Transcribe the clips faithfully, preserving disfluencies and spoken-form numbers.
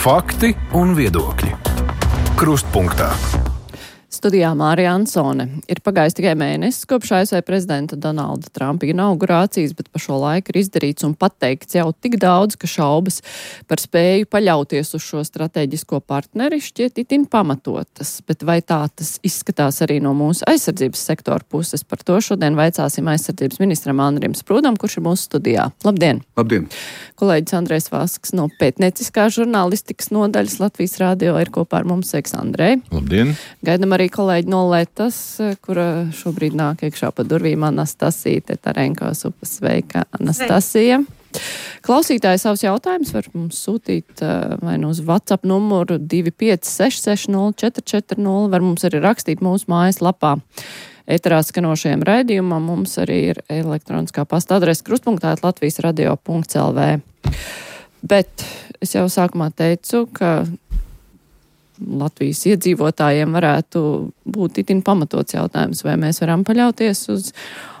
Fakti un viedokļi. Krustpunktā. Studijā Mārija Ansone. Ir pagājis tikai mēnesis kopš A S V prezidenta Donalda Trumpa inaugurācijas, bet pa šo laiku ir izdarīts un pateikts jau tik daudz, ka šaubas par spēju paļauties uz šo strateģisko partneri šķiet itin pamatotas. Bet vai tā tas izskatās arī no mūsu aizsardzības sektora puses? Par to šodien vaicāsim aizsardzības ministram Andrim Sprūdam, kurš ir mūsu studijā. Labdien! Labdien! Kolēģis Andrejs Vasks no pētnieciskās žurnālistikas nodaļas Latvijas radio ir kopā ar mums. Sveiks, Andrej! Labdien! Gaidam arī kolēģi no Letas, kura šobrīd nāk iekšā pa durvīm, Anastasija Tetarenko. Sveika, Anastasija. Klausītāji savus jautājumus var mums sūtīt vai nu uz WhatsApp numuru divi pieci seši seši nulle četri četri nulle, var mums arī rakstīt mūsu mājas lapā. Eterā skanošajam raidījumam mums arī ir elektroniskā pasta adrese krustpunktā at latvijas radio punkts el vē. Bet es jau sākumā teicu, ka Latvijas iedzīvotājiem varētu būt itin pamatots jautājums, vai mēs varam paļauties uz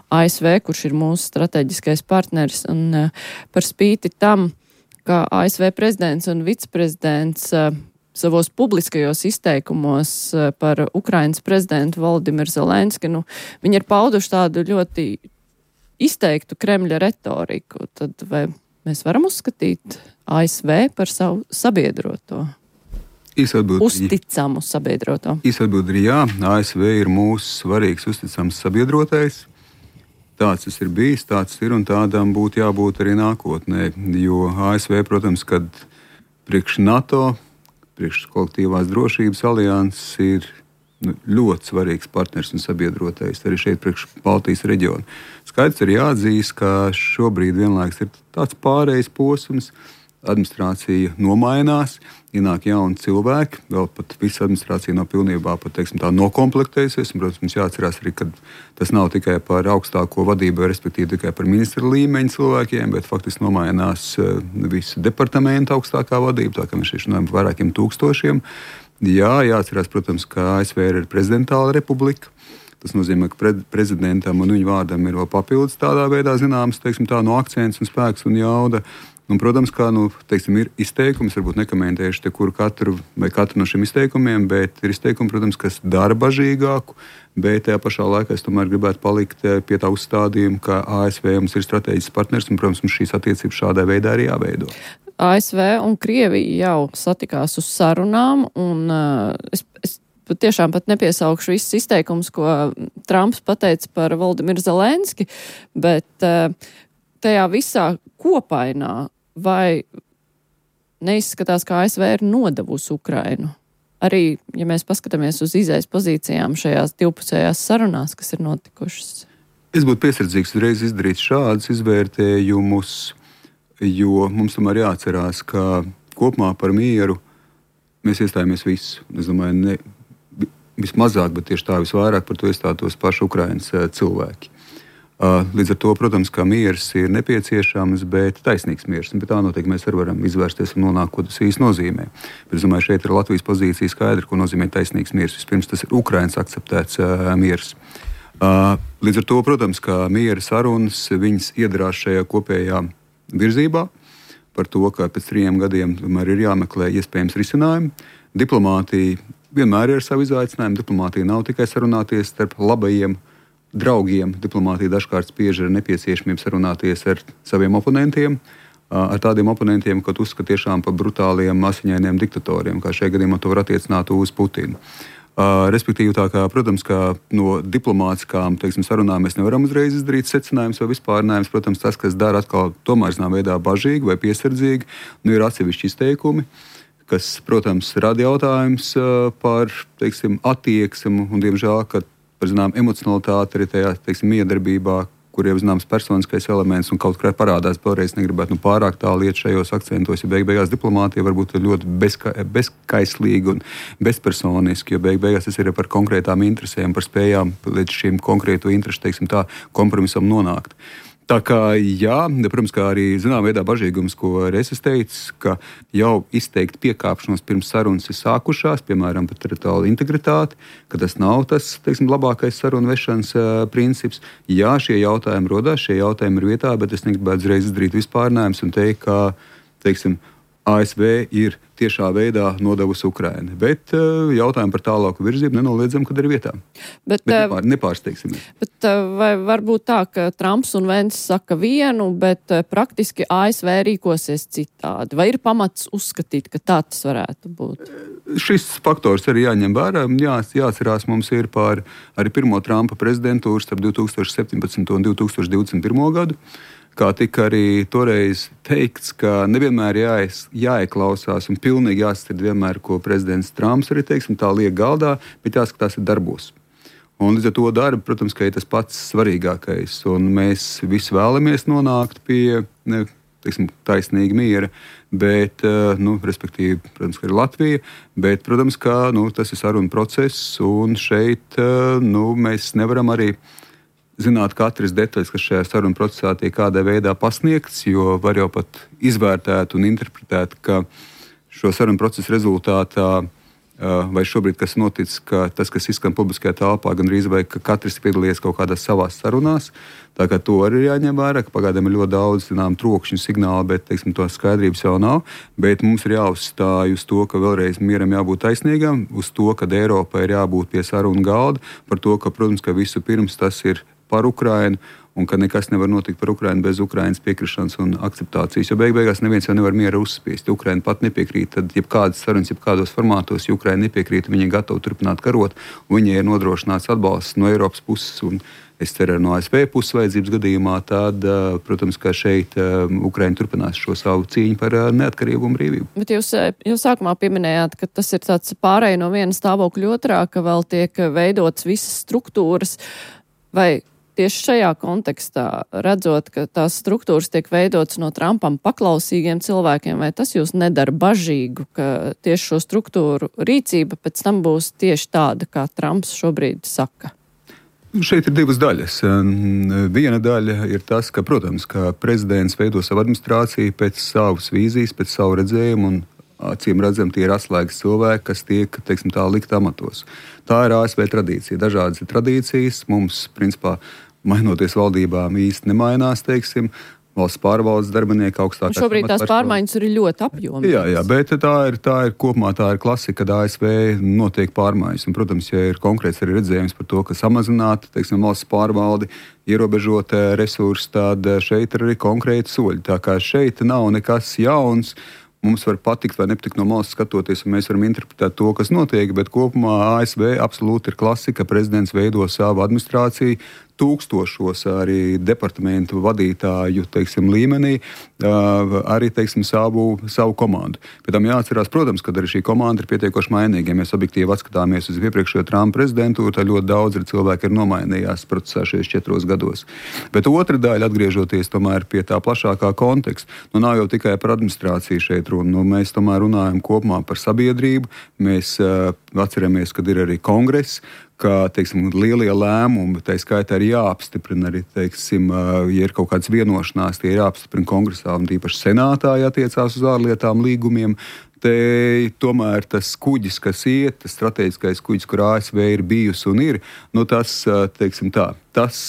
A S V, kurš ir mūsu strateģiskais partneris, un par spīti tam, ka A S V prezidents un viceprezidents savos publiskajos izteikumos par Ukrainas prezidentu Volodimiru Zelenski, nu, viņi ir pauduši tādu ļoti izteiktu Kremļa retoriku, tad vai mēs varam uzskatīt A S V par savu sabiedroto? Uzticamu sabiedroto. Īsatbild ir jā, A S V ir mūsu svarīgs uzticams sabiedrotais. Tāds tas ir bijis, tāds ir un tādam būtu jābūt arī nākotnē. Jo A S V, protams, kad priekš NATO, priekš kolektīvās drošības alianses ir nu, ļoti svarīgs partners un sabiedrotais arī šeit priekš Baltijas reģiona. Skaidrs ir jāatzīst, ka šobrīd vienlaiks ir tāds pārējais posms, administrācija nomainās, ienāk jauni cilvēki, vēl pat visa administrācija nav pilnībā pat, teiksim, tā nokomplektējusies. Un, protams, mums jāatcerās arī, ka tas nav tikai par augstāko vadību, respektīvi tikai par ministra līmeņa cilvēkiem, bet faktiski nomainās visu departamentu augstākā vadība, tā kā mēs šeit runājam par vairākiem tūkstošiem. Jā, jāatcerās, protams, ka A S V ir prezidentāla republika. Tas nozīmē, ka pre prezidentam un viņu vārdam ir vēl papildus tādā veidā zināms, teiksim, tā no akcents un spēks un jauda. Un, protams, kā nu, teiksim, ir izteikums, varbūt nekomentējuši te kuru katru vai katru no šiem izteikumiem, bet ir izteikumi, protams, kas dara bažīgāku, bet tajā pašā laikā es tomēr gribētu palikt pie tā uzstādījuma, ka A S V mums ir strateģisks partners un, protams, mums šīs attiecības šādā veidā arī jāveido. A S V un Krievija jau satikās uz sarunām, un uh, es, es tiešām pat nepiesaukšu visus izteikumus, ko Trumps pateica par Volodimiru Zelenski, bet uh, tajā visā kopainā vai neizskatās, ka A S V ir nodevusi Ukrainu? Arī, ja mēs paskatāmies uz izejas pozīcijām šajās divpusējās sarunās, kas ir notikušas. Es būtu piesardzīgs uzreiz izdarīt šādus izvērtējumus, jo mums tomēr jāatcerās, ka kopumā par mieru mēs iestājāmies visu. Es domāju, ne vismazāk, bet tieši tā visvairāk par to iestātos paši Ukrainas cilvēki. Līdz ar to, protams, ka miers ir nepieciešams, bet taisnīgs miers. Bet tā noteikti mēs arī varam izvērsties un nonākt, ko tas īsti nozīmē. Bet es domāju, šeit ir Latvijas pozīcija skaidra, ko nozīmē taisnīgs miers. Vispirms tas ir Ukrainas akceptēts uh, miers. Uh, līdz ar to, protams, ka miera sarunas viņas iedarās šajā kopējā virzībā par to, ka pēc trījiem gadiem tomēr ir jāmeklē iespējams risinājumi. Diplomātija vienmēr ir savu izaicinājumu. Diplomātija nav tikai sarunāties starp labajiem draugiem. Diplomātija dažkārt spiež ar nepieciešamību sarunāties ar saviem oponentiem, ar tādiem oponentiem, kad uzskata tiešām par brutāliem, asiņainiem diktatoriem, kā šajā gadījumā to var attiecināt uz Putinu. Respektīvi, tā kā, protams, ka no diplomātiskām, teiksim, sarunām mēs nevaram uzreiz izdarīt secinājumus vai vispārinājums. Protams, tas, kas dara atkal tomēr zinām veidā bažīgi vai piesardzīgi, nu ir atsevišķi izteikumi, kas, protams, rada jautājums par, teiksim, attieksmi un, diemžēl, ka par zinām emocionalitāti arī tajā, teiksim, miedarbībā, kur jau zināms personiskais elements un kaut kā parādās vēlreiz negribētu nu, pārāk tālu iet šajos akcentos, jo beig beigās diplomātija varbūt ir ļoti bezka, bezkaislīga un bezpersoniska, jo beig beigās tas ir par konkrētām interesēm, par spējām līdz šīm konkrēto interešu, teiksim tā, kompromisam nonākt. Tā kā, jā, protams, kā arī zinām veidā bažīgums, ko es teicu, ka jau izteikt piekāpšanos pirms sarunas ir sākušās, piemēram, par teritoriālu integritāti, ka tas nav tas, teiksim, labākais sarunu vešanas uh, princips. Jā, šie jautājumi rodās, šie jautājumi ir vietā, bet es negribētu uzreiz izdarīt vispārinājumus un teikt, ka, teiksim, A S V ir tiešā veidā nodevusi Ukraina. Bet uh, jautājumu par tālāku virzību nenoliedzam, kad ir vietā. Bet, bet nepār, nepārsteigsimies. Bet vai var būt tā, ka Trumps un Vence saka vienu, bet praktiski A S V rīkosies citādi? Vai ir pamats uzskatīt, ka tā tas varētu būt? Šis faktors arī jāņem vērā. Jā, jāatcerās, mums ir par arī pirmo Trumpa prezidentūru starp divi tūkstoši septiņpadsmito un divi tūkstoši divdesmit pirmo gadu. Kā tika arī toreiz teikts, ka nevienmēr jāies, jāieklausās un pilnīgi jāsadzird vienmēr, ko prezidents Trumps arī teiksim, tā liek galdā, bet jāskatās ir darbos. Un līdz ar to darbu, protams, ka ir tas pats svarīgākais. Un mēs visi vēlamies nonākt pie ne, teiksim, taisnīga miera, bet, nu, respektīvi, protams, ka ir Latvija, bet, protams, ka nu, tas ir saruna process, un šeit nu, mēs nevaram arī zināt katras detaļas, kas šajā sarunu procesā tiek kādā veidā pasniegts, jo var jau pat izvērtēt un interpretēt, ka šo sarunu procesu rezultātā, vai šobrīd, kas noticis, ka tas, kas izskan publiskajā telpā, gan arī vai ka katrs piedalījies kaut kādās savās sarunās, tā kā to arī jāņem vērā, ka pagaidām ir ļoti daudz, zinām, trokšņu signālu, bet, teiksim, to skaidrības jau nav, bet mums ir jāuzstāj uz to, ka vēlreiz mieram jābūt taisnīgam, uz to, ka Eiropai ir jābūt pie sarunu galda, par to, ka, protams, ka visu pirms tas ir par Ukrainu, un ka nekas nevar notikt par Ukrainu bez Ukrainas piekrišanas un akceptācijas, jo beig beigās neviens jau nevar miera uzspiest. Ja Ukraina pat nepiekrīt, tad jebkādas sarunas, jebkādos formātos, ja Ukraina nepiekrīt, viņi ir gatavi turpināt karot, un viņai ir nodrošināts atbalsts no Eiropas puses, un es ceru, no A S V puses vajadzības gadījumā, tad, protams, ka šeit Ukraina turpinās šo savu cīņu par neatkarību un brīvību. Bet jūs, jūs sākumā pieminējāt, ka tas ir tāds pārēj no viena stāvokļa otrā, ka vēl tiek veidotas visas struktūras, vai tieši šajā kontekstā, redzot, ka tās struktūras tiek veidotas no Trumpam paklausīgiem cilvēkiem, vai tas jūs nedara bažīgu, ka tieši šo struktūru rīcība pēc tam būs tieši tāda, kā Trumps šobrīd saka? Šeit ir divas daļas. Viena daļa ir tas, ka, protams, ka prezidents veido savu administrāciju pēc savas vīzijas, pēc savu redzējumu, un acīm redzam, tie ir atslēgas cilvēki, kas tiek, teiksim, tā likt amatos. Tā ir A S V tradīcija. Dažādas ir tradīcijas. Mums, principā, mainoties valdībām īsti nemainās, teiksim, valsts pārvaldes darbinieki augstākās. Šobrīd tās pārmaiņas ir ļoti apjomīgas. Jā, jā, bet tā ir, tā ir kopumā tā ir klasika, kad A S V notiek pārmaiņas. Un, protams, ja ir konkrēts arī redzējums par to, ka samazināt, teiksim, valsts pārvaldi, ierobežot resursus, tad šeit ir arī konkrēti soļi. Tā kā šeit nav nekas jauns. Mums var patikt vai nepatikt no malas skatoties, un mēs varam interpretēt to, kas notiek, bet kopumā A S V absolūti ir klasika. Prezidents veido savu administrāciju, tūkstošos arī departamentu vadītāju, teiksim, līmenī, arī, teiksim, savu, savu komandu. Pēc tam jāatcerās, protams, ka arī šī komanda ir pietiekoši mainīga. Ja mēs objektīvi atskatāmies uz iepriekšējo Trumpa prezidentūru, tad ļoti daudz ir cilvēki ir nomainījās procesā šajos četros gados. Bet otra daļa, atgriežoties tomēr pie tā plašākā konteksta, nu nav jau tikai par administrāciju šeit runa. Nu, mēs tomēr runājam kopumā par sabiedrību. Mēs uh, atceramies, kad ir arī kongress, ka, teiksim, lielie lēmumi, tā skaitā arī jāapstiprina arī, teiksim, ja ir kaut kādas vienošanās, tie ir jāapstiprina kongresā un tīpaši senātā jātiecās uz ārlietām līgumiem. Te tomēr tas kuģis, kas iet, tas strateģiskais kuģis, kur A S V ir bijusi un ir, nu tas, teiksim tā, tas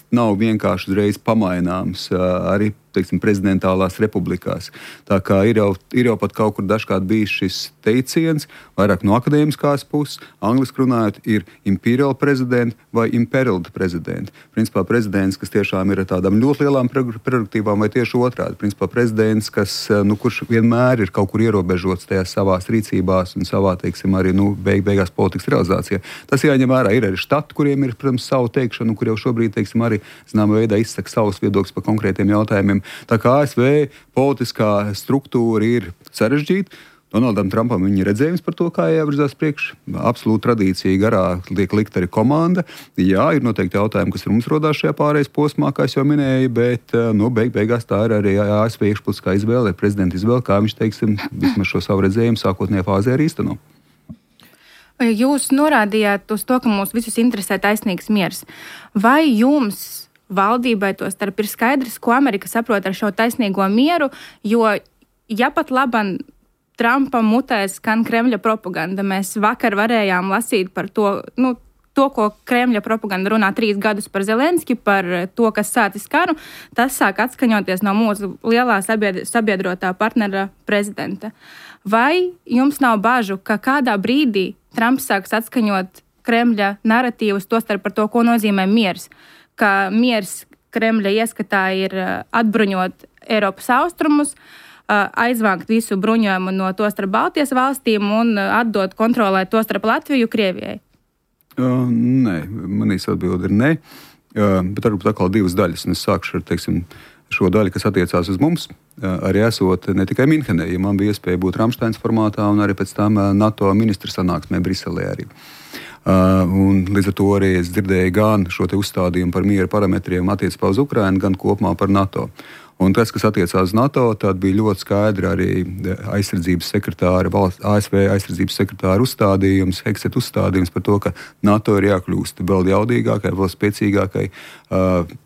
nav vienkārši uzreiz pamaināms arī, teiksim, prezidentālās republikās. Tā kā ir jau, ir jau pat kaut kur dažkārt bijis šis teiciens, vairāk no akadēmiskās puses, angliski runājot, ir imperial prezidenti vai imperiled prezidenti. Principā prezidents, kas tiešām ir ar tādām ļoti lielām prerogatīvām, vai tieši otrādi. Principā prezidents, kas, nu, kurš vienmēr ir kaut kur ierobežots tajās savās rīcībās un savā, teiksim, arī, nu, beig, beigās politikas realizācijā. Tas jāņem vērā. Ir arī štati, kuriem ir, protams, savu teikšanu, kur jau šobrīd, teiksim, arī, zināmā veidā izsaka savus viedokļus par konkrētiem jautājumiem. Tā kā A S V politiskā struktūra ir sarežģīta, Donaldam Trumpam viņa redzējums par to, kā jāvirzās priekš. Absolūti tradīcija garā liek likt arī komanda. Jā, ir noteikti jautājumi, kas mums rodās šajā pārējais posmā, kā es jau minēju, bet nu, beig, beigās tā ir arī A S V iekšpolitiskā izvēle, prezidenta izvēle, kā viņš, teiksim, vismaz šo savu redzējumu sākotnējā fāzē arī īsteno. Jūs norādījāt uz to, ka mūs visus interesē taisnīgs miers. Vai jums valdībai to starp ir skaidrs, ko Amerika saprot ar šo taisnīgo mieru, jo ja pat laban Trumpa mutē skan Kremļa propaganda, mēs vakar varējām lasīt par to, nu, to, ko Kremļa propaganda runā trīs gadus par Zelenski, par to, kas sācis karu, tas sāk atskaņoties no mūsu lielā sabiedrotā partnera prezidenta. Vai jums nav bažu, ka kādā brīdī Trumps sāks atskaņot Kremļa naratīvus, tostarp par to, ko nozīmē miers? Ka miers Kremļa ieskatā ir atbruņot Eiropas austrumus, aizvākt visu bruņojumu no tostarp Baltijas valstīm un atdot kontrolēt tostarp Latviju Krievijai? Uh, nē, manīs atbildi ir nē, uh, bet varbūt atkal divas daļas. Un es sākšu ar, teiksim, šo daļu, kas attiecās uz mums, uh, arī esot ne tikai Minhenē, ja man bija iespēja būt Ramsteins formātā un arī pēc tam uh, NATO ministru sanāksmē Briselē arī. Uh, un līdz ar to arī es dzirdēju gan šo te uzstādījumu par miera parametriem attiecībā uz Ukrainu, gan kopumā par NATO. Un tas, kas attiecās uz NATO, tad bija ļoti skaidri arī aizsardzības sekretāra, valsts, A S V aizsardzības sekretāra uzstādījums, Hexet uzstādījums par to, ka NATO ir jākļūst vēl jaudīgākai, vēl spēcīgākai.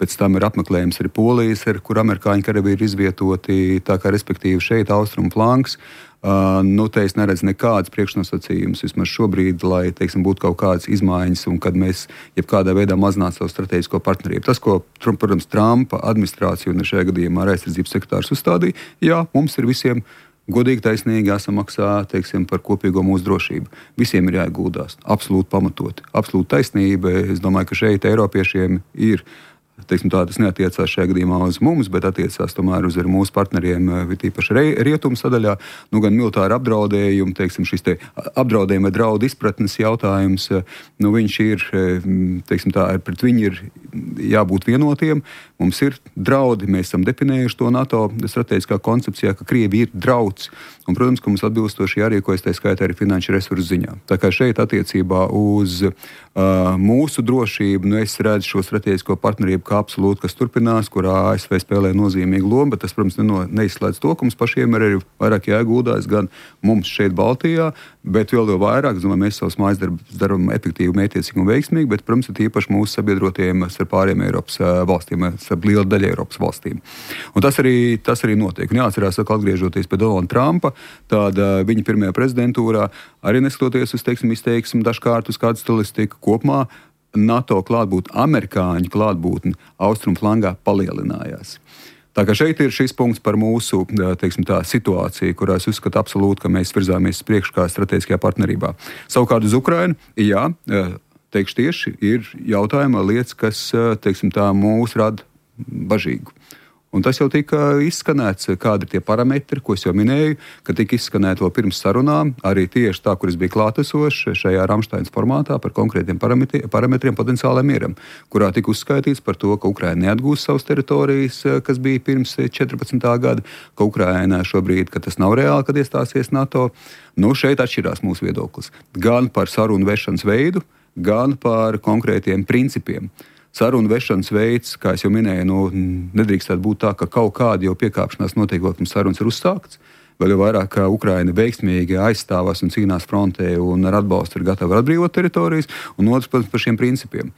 Pēc tam ir apmeklējums arī Polijas, kur amerikāņu karavīri ir izvietoti, tā kā respektīvi šeit austrumu flanks. Uh, nu, te es neredzu nekādas priekšnosacījumus vismaz šobrīd, lai, teiksim, būtu kaut kādas izmaiņas un kad mēs jebkādā veidā mazinātu savu strateģisko partnerību. Tas, ko, protams, Trumpa administrācija un šajā gadījumā aizsardzības sekretārs uzstādīja, jā, mums ir visiem godīgi, taisnīgi jāsamaksā, teiksim, par kopīgo mūsu drošību. Visiem ir jāieguldās, absolūti pamatoti, absolūti taisnība. Es domāju, ka šeit Eiropiešiem ir, teiksim tā, tas neatiecās šajā gadījumā uz mums, bet attiecās tomēr uz mūsu partneriem, tīpaši rietumu sadaļā. Nu, gan militāri apdraudējumi, teiksim, šis te apdraudējuma vai draudu izpratnes jautājums, nu, viņš ir, teiksim tā, pret viņu ir jābūt vienotiem. Mums ir draudi, mēs esam definējuši to NATO strateģiskā koncepcijā, ka Krievi ir drauds. Un, protams, ka mums atbilstoši jārīkojas, tā skaitā arī finanšu resursu ziņā. Tā kā šeit attiecībā uz uh, mūsu drošību, nu, es redzu šo strateģisko partnerību kā absolūti, kas turpinās, kurā A S V spēlē nozīmīgu lomu, bet tas, protams, neno, neizslēdz to, ka mums pašiem ir arī vairāk jāguldās gan mums šeit Baltijā, bet vēl jau vairāk, es domāju, mēs savus mājas darbus darām efektīvi, mētiecīgi un veiksmīgi, bet, protams, ir īpaši mūsu sabiedrotiem ar pāriem Eiropas valstīm, ar lielu daļu Eiropas valstīm. Un tas arī, tas arī notiek. Un jāatcerās, ka atgriežoties pie Donalda Trumpa, tad uh, viņa pirmajā prezidentūrā, arī neskatoties uz, teiksim, izteiksmi dažkārt uz kādu stilistiku kopumā, NATO klātbūtne, amerikāņu klātbūtne austrumu flangā palielinājās. Tā kā šeit ir šis punkts par mūsu, teiksim tā, situāciju, kurā es uzskatu absolūti, ka mēs virzāmies priekš kā strateģiskajā partnerībā. Savukārt uz Ukrainu, jā, teikšu tieši, ir jautājuma lietas, kas, teiksim tā, mūs rada bažīgu. Un tas jau tika izskanēts, kādi ir tie parametri, ko es jau minēju, ka tika izskanēti vēl pirms sarunām, arī tieši tā, kur es biju klātesošs šajā Ramsteins formātā par konkrētiem parametriem, parametriem potenciālajiem mieram, kurā tika uzskaitīts par to, ka Ukraina neatgūs savas teritorijas, kas bija pirms četrpadsmitā gada, ka Ukraina šobrīd, ka tas nav reāli, kad iestāsies NATO. Nu, šeit atšķirās mūsu viedoklis. Gan par sarunu vešanas veidu, gan par konkrētiem principiem. Sarunu vešanas veids, kā es jau minēju, nu, nedrīkstētu būt tā, ka kaut kāda jau piekāpšanās notiek, pirms sarunas ir uzsākts. Vēl jau vairāk, ka Ukraina veiksmīgi aizstāvās un cīnās frontē un ar atbalstu ir gatava atbrīvot teritorijas, un otrs, protams, par šiem principiem.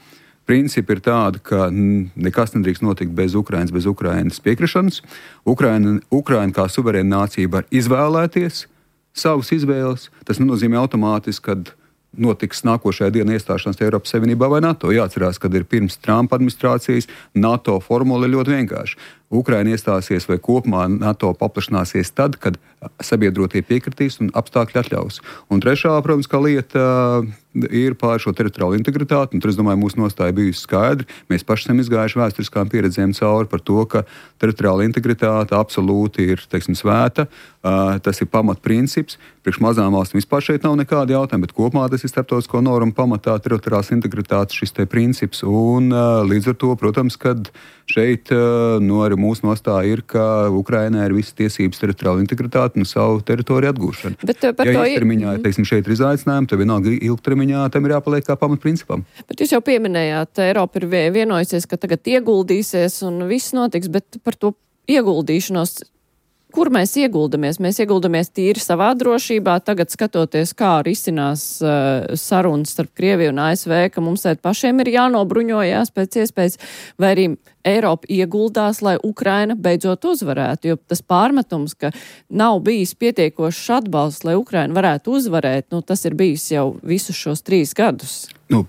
Principi ir tādi, ka nekas nedrīkst notikt bez Ukrainas, bez Ukrainas piekrišanas. Ukraina, Ukraina kā suverēna nācija var izvēlēties savas izvēles. Tas nenozīmē automātiski, kad notiks nākošajā dienā iestāšanās Eiropas Savienībā vai NATO. Jāatcerās, kad ir pirms Trumpa administrācijas NATO formula ir ļoti vienkārša. Ukraina iestāsies vai kopumā NATO paplašināsies tad, kad sabiedrotie piekritīs un apstākļi atļaus. Un trešā, protams, kā lieta ir pār šo teritoriālu integritāti, un tur, es domāju, mūsu nostāja bijusi skaidra. Mēs paši esam izgājuši vēsturiskām pieredzēm cauri par to, ka teritoriāla integritāte absolūti ir, teiksim, svēta. Uh, tas ir pamatprincips. Priekš mazām valstīm vispār šeit nav nekāda jautājuma, bet kopumā tas ir starptautisko normu pamatā teritoriālās integritātes šis te princips. Un uh, līdz ar to, protams, kad šeit uh, no arī mūsu nostāja ir, ka Ukrainai ir visas tiesības teritoriāla integritāte un savu teritoriju atgūšana. Bet, par ja īstermiņā, teiksim, šeit ir izaicinājumi, tad vienalga ilgtermiņā tam ir jāpaliek kā pamatprincipam. Bet jūs jau pieminējāt, Eiropa ir vienojusies, ka tagad ieguldīsies un viss notiks, bet par to ieguldīšanos, kur mēs ieguldamies? Mēs ieguldamies tīri savā drošībā, tagad skatoties, kā risinās uh, sarunas starp Krieviju un A S V, ka mums tēt pašiem ir jānobruņojās pēc iespējas, vai arī Eiropa ieguldās, lai Ukraina beidzot uzvarētu, jo tas pārmetums, ka nav bijis pietiekošs atbalsts, lai Ukraina varētu uzvarēt, nu, tas ir bijis jau visus šos trīs gadus. Nu,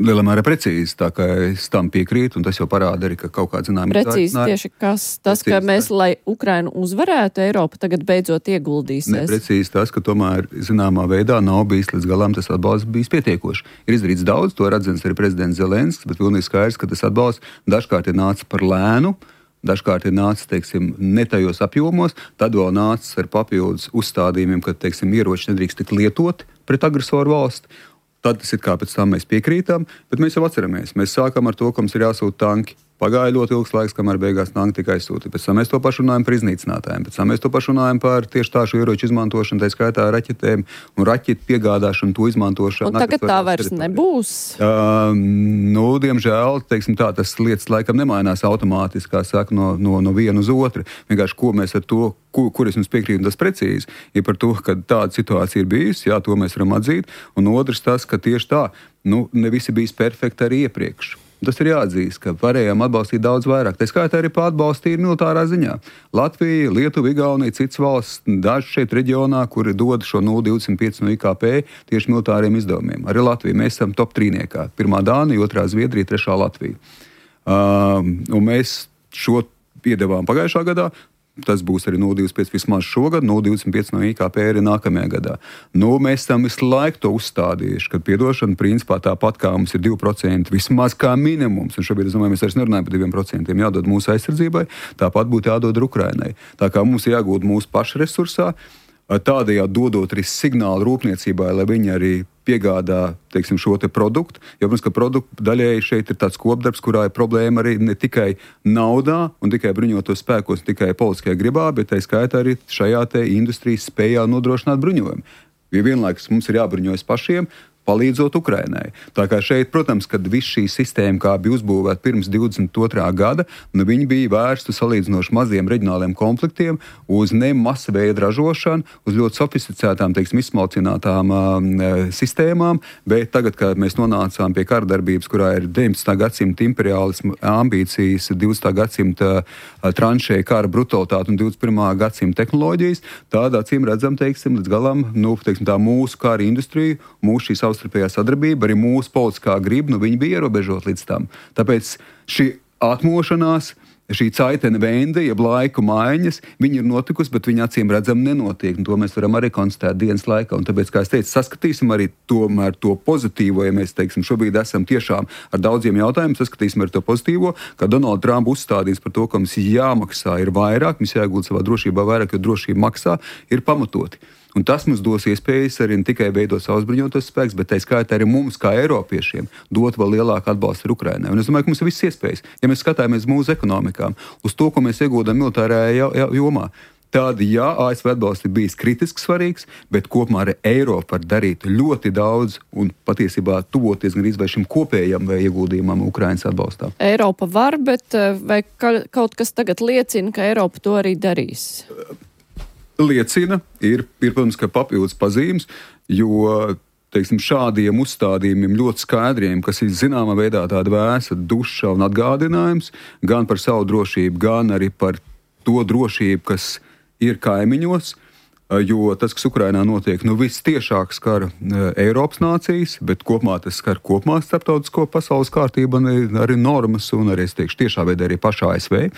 Lielā mērā precīzi, tā kā es tam piekrītu, un tas jau parāda arī, ka kaut kāds zināms... Precīzi tieši kas? Tas, precīzi, ka mēs, lai Ukrainu uzvarētu, Eiropa tagad beidzot ieguldīsies? Ne, precīzi tas, ka tomēr zināmā veidā nav bijis līdz galām tas atbalsts bijis pietiekoši. Ir izdarīts daudz, to redzams arī prezidents Zelenskis, bet pilnīgi skaidrs, ka tas atbalsts dažkārt ir nācis par lēnu, dažkārt ir nācis, teiksim, ne tajos apjomos, tad vēl nācis ar papildus uzstādījumiem, ka, teiksim, ieroči nedrīkst tik lietot pret agresoru valsti. Tad tas ir kā pēc tam mēs piekrītam, bet mēs jau atceramies. Mēs sākam ar to, ka mums ir jāsūta tanki. Pagāja ļoti ilgs laiks, kamēr beigās tanki tika aizsūtīti. Pēc tam mēs to pašu runājam par iznīcinātājiem. Pēc tam mēs to pašu runājam par tieši tādu ieroču izmantošanu, tā skaitā raķetēm un raķetu piegādāšanu, to izmantošanu. Un tagad tā vairs nebūs? Uh, nu, diemžēl, teiksim tā, tas lietas laikam nemainās automātiski, kā saka, no, no, no viena uz otru. Vienkārši, ko mēs ar to, kur, kur es jums piekrītu, tas precīzi, ir par to, ka tāda situācija ir bijusi, jā, to mēs varam atzīt. Un otrs tas, ka tieši tā, nu, ne visi bijis perfekti arī iepriekš. Tas ir jāatzīst, ka varējām atbalstīt daudz vairāk. Tā skaitā arī atbalstīt militārā ziņā. Latvija, Lietuva, Igaunija, citas valsts, daži šeit reģionā, kuri dod šo nulle virgulē divdesmit pieci no I K P tieši militāriem izdevumiem. Arī Latvija. Mēs esam top trīniekā. Pirmā Dānija, otrā Zviedrija, trešā Latvija. Uh, un mēs šo piedevām pagājušā gadā. Tas būs arī nulle virgulē divdesmit pieci vismaz šogad, nulle virgulē divdesmit pieci no I K P arī nākamajā gadā. Nu, mēs tam visu laiku to uzstādījuši, ka piedošana principā tāpat kā mums ir divi procenti vismaz kā minimums, un šobrīd, es domāju, mēs vairs nerunājam par diviem procentiem, jādod mūsu aizsardzībai, tāpat būtu jādod Ukrainai. Tā kā mums jāgūt mūsu pašu resursā, tādējādi dodot arī signālu rūpniecībai, lai viņi arī piegādā, teiksim, šo te produktu. Jo, protams, ka produktu daļēji šeit ir tāds kopdarbs, kurā ir problēma arī ne tikai naudā un tikai bruņotos spēkos, ne tikai politiskajā gribā, bet tā skaitā arī šajā te industrijas spējā nodrošināt bruņojumu. Jo vienlaikus mums ir jābruņojas pašiem, palīdzot Ukrainai. Tā kā šeit, protams, kad viss šī sistēma, kā bija uzbūvēta pirms divdesmit otrā gada, nu viņi bija vērsti salīdzinoši maziem reģionāliem konfliktiem, uz ne masa veida ražošanu, uz ļoti sofisticētām, teiksim, izsmalcinātām uh, sistēmām, bet tagad, kad mēs nonācām pie karadarbības, kurā ir deviņpadsmitā gadsimta imperiālismu ambīcijas, divdesmitā gadsimta uh, tranšēja kara brutalitāte un divdesmit pirmā gadsimta tehnoloģijas, tādā acīm redzam, teiksim, līdz galam, nu, teiksim, tā mūsu kara industrija, mūsu šī savstarpējā sadarbība, arī mūsu politiskā griba, nu viņi bija ierobežot līdz tam. Tāpēc šī atmošanās, šī caitene vende, jeb laiku maiņas, viņi ir notikusi, bet viņi acīm redzam nenotiek, un to mēs varam arī konstatēt dienas laikā. Un tāpēc, kā es teicu, saskatīsim arī tomēr to pozitīvo, ja mēs, teiksim, šobrīd esam tiešām ar daudziem jautājumiem, saskatīsim arī to pozitīvo, ka Donalds Trumps uzstādīs par to, ka mums jāmaksā ir vairāk, mums jāiegūt savā drošībā vairāk, jo drošība maksā, ir pamatoti. Un tas mums dos iespējas arī ne tikai veidot savus bruņotos spēkus, bet tā skaitā arī mums, kā Eiropiešiem, dot vēl lielāku atbalstu Ukrainai. Un es domāju, ka mums ir visas iespējas. Ja mēs skatāmies mūsu ekonomikām, uz to, ko mēs iegūdam militārajā jomā, tad, jā, A S V atbalsts ir bijis kritiski svarīgs, bet kopumā arī Eiropa var darīt ļoti daudz un patiesībā tuvoties gan izvēl šim kopējam vai ieguldījumam Ukrainas atbalstā. Eiropa var, bet vai kaut kas tagad liecina, ka Eiropa to arī darīs? Liecina, ir, ir, protams, ka papildus pazīmes, jo, teiksim, šādiem uzstādījumiem ļoti skaidriem, kas ir zināmā veidā tāda vēsa duša un atgādinājums, gan par savu drošību, gan arī par to drošību, kas ir kaimiņos, jo tas, kas Ukrainā notiek, nu viss tiešāk skar Eiropas nācijas, bet kopumā tas skar kopumā starptautisko pasaules kārtību un arī normas un arī, es teikšu, tiešā veidā arī pašā A S V.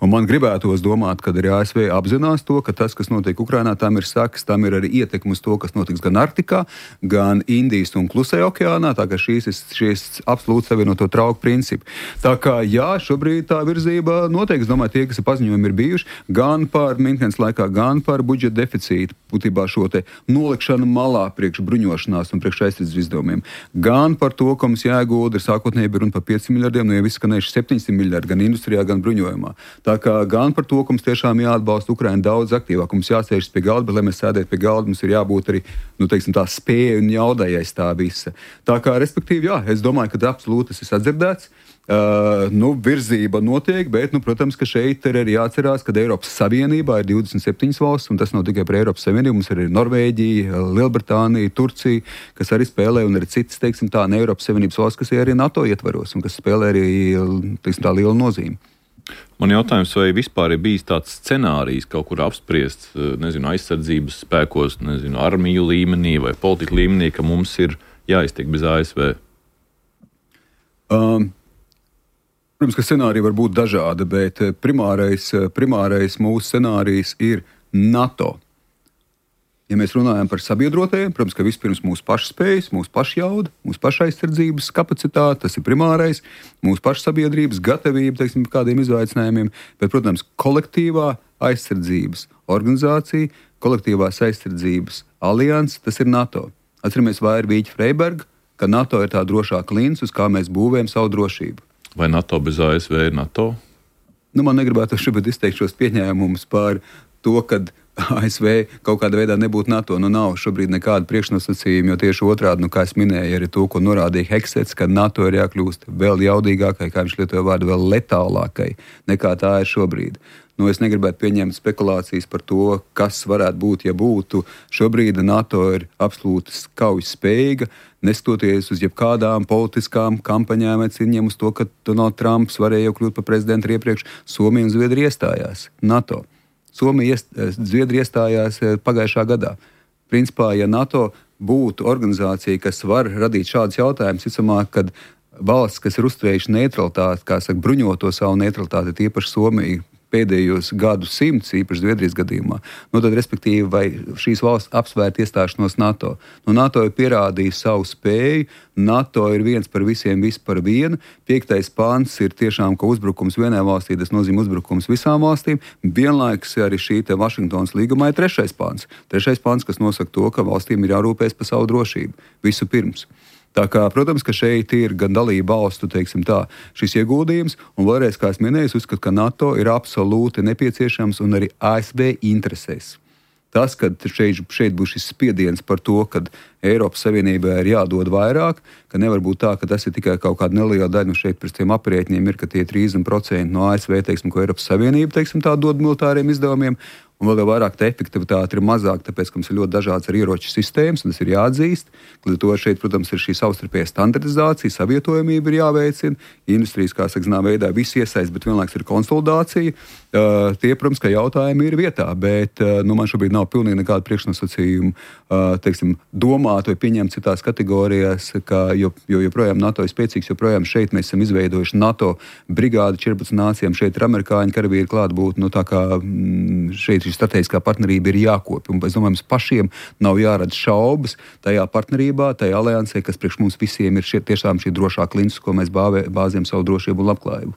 Un man gribētos domāt, ka arī A S V apzinās to, ka tas, kas notiek Ukrainā, tam ir sakas, tam ir arī ietekme uz to, kas notiks gan Arktikā, gan Indijas un Klusajā okeānā, tā kā šīs ir šīs absolūti savienoto trauku principi. Tā kā, jā, šobrīd tā virzība notiek, es domāju, tie, kas ir paziņojumi, ir bijuši gan par Minhenes laikā, gan par budžeta deficītu, būtībā šo te nolikšanu malā priekš bruņošanās un priekš aizsardzības izdevumiem. Gan par to, ka mums jāiegulda, ir sākotnēji bija runa par pieciem miljardiem, no jau viss skanējuši septiņsimt miljardi, gan industrijā, gan bruņojumā. Tā kā gan par to, ka mums tiešām jāatbalsta Ukraina daudz aktīvāk, mums jāsēžas pie galda, bet, lai mēs sēdētu pie galda, mums ir jābūt arī, nu, teiksim, tā spēja un jaudai aiz tā visa. Tā kā, respektīvi, jā, es domāju, ka absolūti tas ir sadzirdēts. Uh, nu, virzība notiek, bet, nu, protams, ka šeit ir arī jāatcerās, ka Eiropas Savienībā ir divdesmit septiņas valsts, un tas nav tikai par Eiropas Savienību, mums ir arī Norvēģija, Lielbritānija, Turcija, kas arī spēlē, un arī citas, teiksim, tā ne Eiropas Savienības valsts, kas ir arī NATO ietvaros, un kas spēlē arī, teiksim, tā liela nozīme. Man jautājums, vai vispār ir bijis tāds scenārijs kaut kur apspriests, nezinu, aizsardzības spēkos, nezinu, armiju līmenī vai politika līmenī, ka mums ir jāiztiek bez A S V? Um, protams, ka scenāriji var būt dažādi, bet primārais, primārais mūsu scenārijs ir NATO. Ja mēs runājam par sabiedrotajiem, protams, ka vispirms mūsu pašspējas, mūsu pašjauda, mūsu pašaizsardzības kapacitāte, tas ir primārais, mūsu pašsabiedrības gatavība, teiksim, kādiem izaicinājumiem, bet, protams, kolektīvā aizsardzības organizācija, kolektīvās aizsardzības alianse, tas ir NATO. Atceramies Vaira Vīķa Freiberga, ka NATO ir tā drošā klints, uz kā mēs būvējam savu drošību. Vai NATO bez A S V ir NATO? Nu, man negribētu šobrīd izteikt šos pieņēmumus par to, kad A S V kaut kādā veidā nebūtu NATO. Nu, nav šobrīd nekāda priekšnosacījuma, jo tieši otrādi, nu, kā es minēju, arī to, ko norādīja Heksets, ka NATO ir jākļūst vēl jaudīgākai, kā viņš lietoja vārdu, vēl letālākai, nekā tā ir šobrīd. Nu, es negribētu pieņemt spekulācijas par to, kas varētu būt, ja būtu. Šobrīd NATO ir absolūti kaujas spējīga, neskatoties uz jebkādām politiskām kampaņām vai cīņām uz to, ka Donalds Trumps varēja jau kļūt par prezidentu iepriekš. Somija un Zviedrija iestājās NATO. Somija, Zviedrija iestājās pagājušā gadā. Principā, ja NATO būtu organizācija, kas var radīt šādus jautājumus, ticamāk, kad valsts, kas ir uzturējuši neutralitāti, kā saka, bruņoto savu neutralitāti, tīpaši Somija, pēdējos gadu simts, īpaši Zviedrijas gadījumā, nu tad, respektīvi, vai šīs valsts apsvērt iestāšanos NATO. Nu, NATO ir pierādījis savu spēju, NATO ir viens par visiem, viss par vienu. Piektais pants ir tiešām, ka uzbrukums vienai valstī, tas nozīmē uzbrukums visām valstīm. Vienlaikus arī šī te Vašingtonas līgumā ir trešais pants. Trešais pants, kas nosaka to, ka valstīm ir jārūpēs par savu drošību. Visu pirms. Tā kā, protams, ka šeit ir gan dalība valstu, teiksim tā, šis ieguldījums, un vēlreiz, kā es minēju, uzskatu, ka NATO ir absolūti nepieciešams un arī A S V interesēs. Tas, ka šeit, šeit būs šis spiediens par to, ka Eiropas Savienībai ir jādod vairāk, ka nevar būt tā, ka tas ir tikai kaut kāda neliela daļa, nu šeit pēc tiem aprēķiniem ir, ka tie trīsdesmit procenti no A S V, teiksim, ko Eiropas Savienība, teiksim, tā dod militāriem izdevumiem, un vēl vairāk tā efektivitāte ir mazāk, tāpēc, ka mums ir ļoti dažādas ar ieroču sistēmas, un tas ir jāatzīst. Līdz ar to šeit, protams, ir šī savstarpējā standartizācija, savietojamība ir jāveicina, industrijas, kā saka, zinām veidā visi iesaist, bet vienlaiks ir konsolidācija. Uh, tie, protams, ka jautājumi ir vietā, bet uh, nu, man šobrīd nav pilnīgi nekāda priekšnosacījuma, uh, teiksim, domāt vai pieņemt citās kategorijās, ka, jo, jo joprojām NATO ir spēcīgs, joprojām šeit mēs esam izveidojuši NATO brigādi četrpadsmit nācijām, šeit ir amerikāņu karavīri klātbūt, nu tā kā mm, šeit šī strateģiskā partnerība ir jākopja. Un, es domāju, mums pašiem nav jārada šaubas tajā partnerībā, tajā aliansē, kas priekš mums visiem ir šie, tiešām šī drošā klints, ko mēs bāvē, bāzējam savu drošību un labklājību.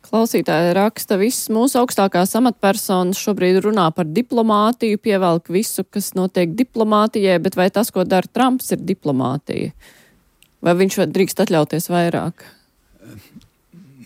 Klausītāji raksta, visas mūsu augstākās amatpersonas šobrīd runā par diplomātiju, pievelk visu, kas notiek diplomātijai, bet vai tas, ko dara Trumps, ir diplomātija? Vai viņš drīkst atļauties vairāk?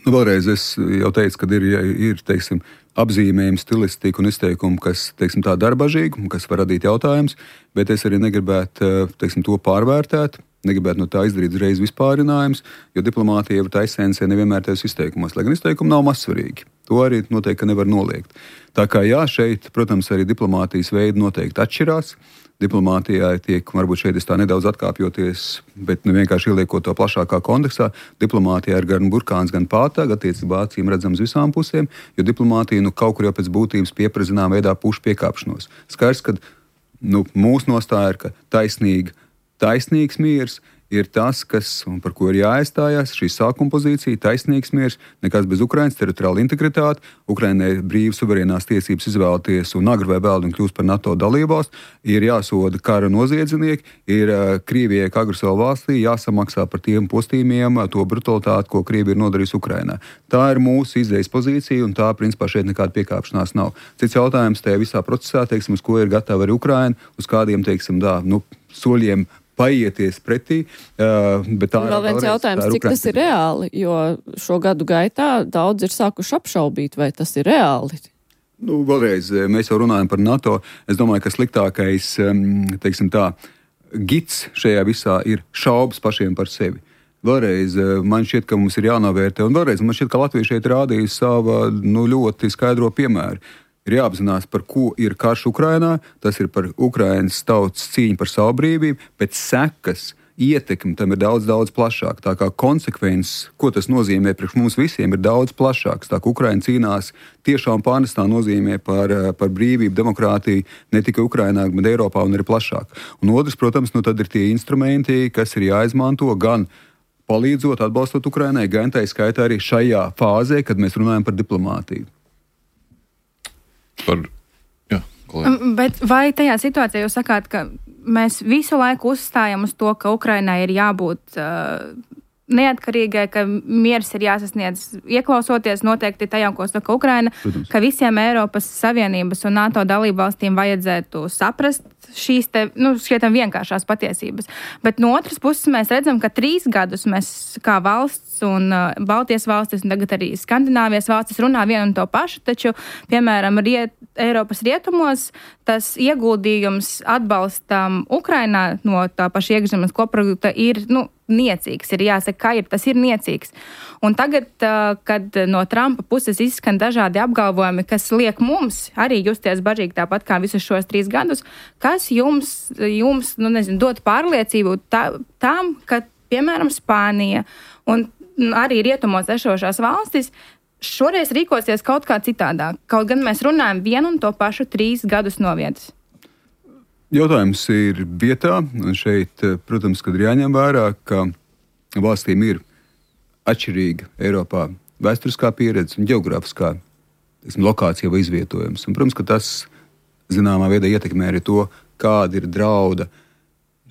Nu, vēlreiz es jau teicu, ka ir, ir teiksim, apzīmējumi, stilistika un izteikumi, kas, teiksim, tā darbažīgi, kas var radīt jautājumus, bet es arī negribētu, teiksim, to pārvērtēt, negribētu no tā izdarīt uzreiz vispārinājums, jo diplomātija jau tā esencē nevienmēr tajos izteikumos, lai gan izteikumi nav mazsvarīgi. To arī noteikti nevar noliegt. Tā kā jā, šeit, protams, arī diplomātijas veidi noteikti atšķirās. Diplomātijā tiek, varbūt šeit es tā nedaudz atkāpjoties, bet nu, vienkārši ieliekot to plašākā kontekstā, diplomātijā ir gan burkāns, gan pātāga, attiecībā acīm redzams visām pusēm, jo diplomātija nu, kaut kur jau pēc būtības pieprazinām veidā pušu piekāpšanos. Skaidrs, ka nu, mūsu nostāja ir, ka taisnīga, taisnīgs miers ir tas, kas, un par ko ir jāaizstājās, šī sākuma pozīcija, taisnīgs miers, nekas bez Ukrainas teritoriāla integritāte, Ukrainai brīvas suverēnās tiesības izvēlēties un agri vai vēl un kļūst par NATO dalībvalstu, ir jāsoda kara noziedznieki, ir uh, Krievijai kā agresoru valstī jāsamaksā par tiem postījumiem, to brutalitāti, ko Krievija ir nodarījusi Ukrainā. Tā ir mūsu izējas pozīcija, un tā, principā, šeit nekāda piekāpšanās nav. Cits jautājums tajā visā procesā, teiksim, uz ko ir gatava arī Ukraina, uz kādiem, teiksim, dā, nu, soļiem paieties pretī. Uh, bet tā vēl viens jautājums, cik tas ir reāli, jo šo gadu gaitā daudz ir sākuši apšaubīt, vai tas ir reāli. Nu, vēlreiz, mēs jau runājam par NATO. Es domāju, ka sliktākais, teiksim tā, gids šajā visā ir šaubas pašiem par sevi. Vēlreiz, man šķiet, ka mums ir jānovērtē, un vēlreiz, man šķiet, ka Latvija šeit rādīja savu nu, ļoti skaidro piemēru. Ir jāapzinās, par ko ir karš Ukrainā, tas ir par Ukrainas tautas cīņu par savu brīvību, bet sekas, ietekme tam ir daudz, daudz plašāk. Tā kā konsekvences, ko tas nozīmē priekš mums visiem, ir daudz plašāks. Tā kā Ukraina cīnās tiešām pārnestā nozīmē par, par brīvību, demokrātiju ne tikai Ukrainā, bet Eiropā un arī plašāk. Un otrs, protams, nu tad ir tie instrumenti, kas ir jāizmanto gan palīdzot, atbalstot Ukrainai, gan tā skaitā arī šajā fāzē, kad mēs runājam par diplomātiju. Par, jā, kolēģi. Bet vai tajā situācijā jūs sakāt, ka mēs visu laiku uzstājam uz to, ka Ukrainai ir jābūt uh, neatkarīgai, ka miers ir jāsasniedz ieklausoties noteikti tajā, ko saka Ukraina, Protams. Ka visiem Eiropas Savienības un NATO dalību valstīm vajadzētu saprast šīs te, nu, šķietam vienkāršās patiesības. Bet no otras puses mēs redzam, ka trīs gadus mēs kā valsts un uh, Baltijas valstis un tagad arī Skandināvijas valstis runā vienu un to pašu, taču, piemēram, riet, Eiropas rietumos tas ieguldījums atbalstam Ukrainā no tā paša iekšzemes koprodukta ir, nu, niecīgs. Ir jāsaka, kā ir, tas ir niecīgs. Un tagad, uh, kad no Trumpa puses izskan dažādi apgalvojumi, kas liek mums arī justies bažīgi tāpat kā visus šos trīs gadus, kas jums, jums nu, nezinu, dot pārliecību tā, tām, ka, piemēram, Spānija un arī rietumos esošās valstis šoreiz rīkosies kaut kā citādāk. Kaut gan mēs runājam vienu un to pašu trīs gadus no vietas. Jautājums ir vietā, un šeit, protams, kad ir jāņem vērā, ka valstīm ir atšķirīga Eiropā vēsturiskā pieredze un geogrāfiskā lokācija vai izvietojums. Un, protams, ka tas zināmā veidā ietekmē arī to, kāda ir drauda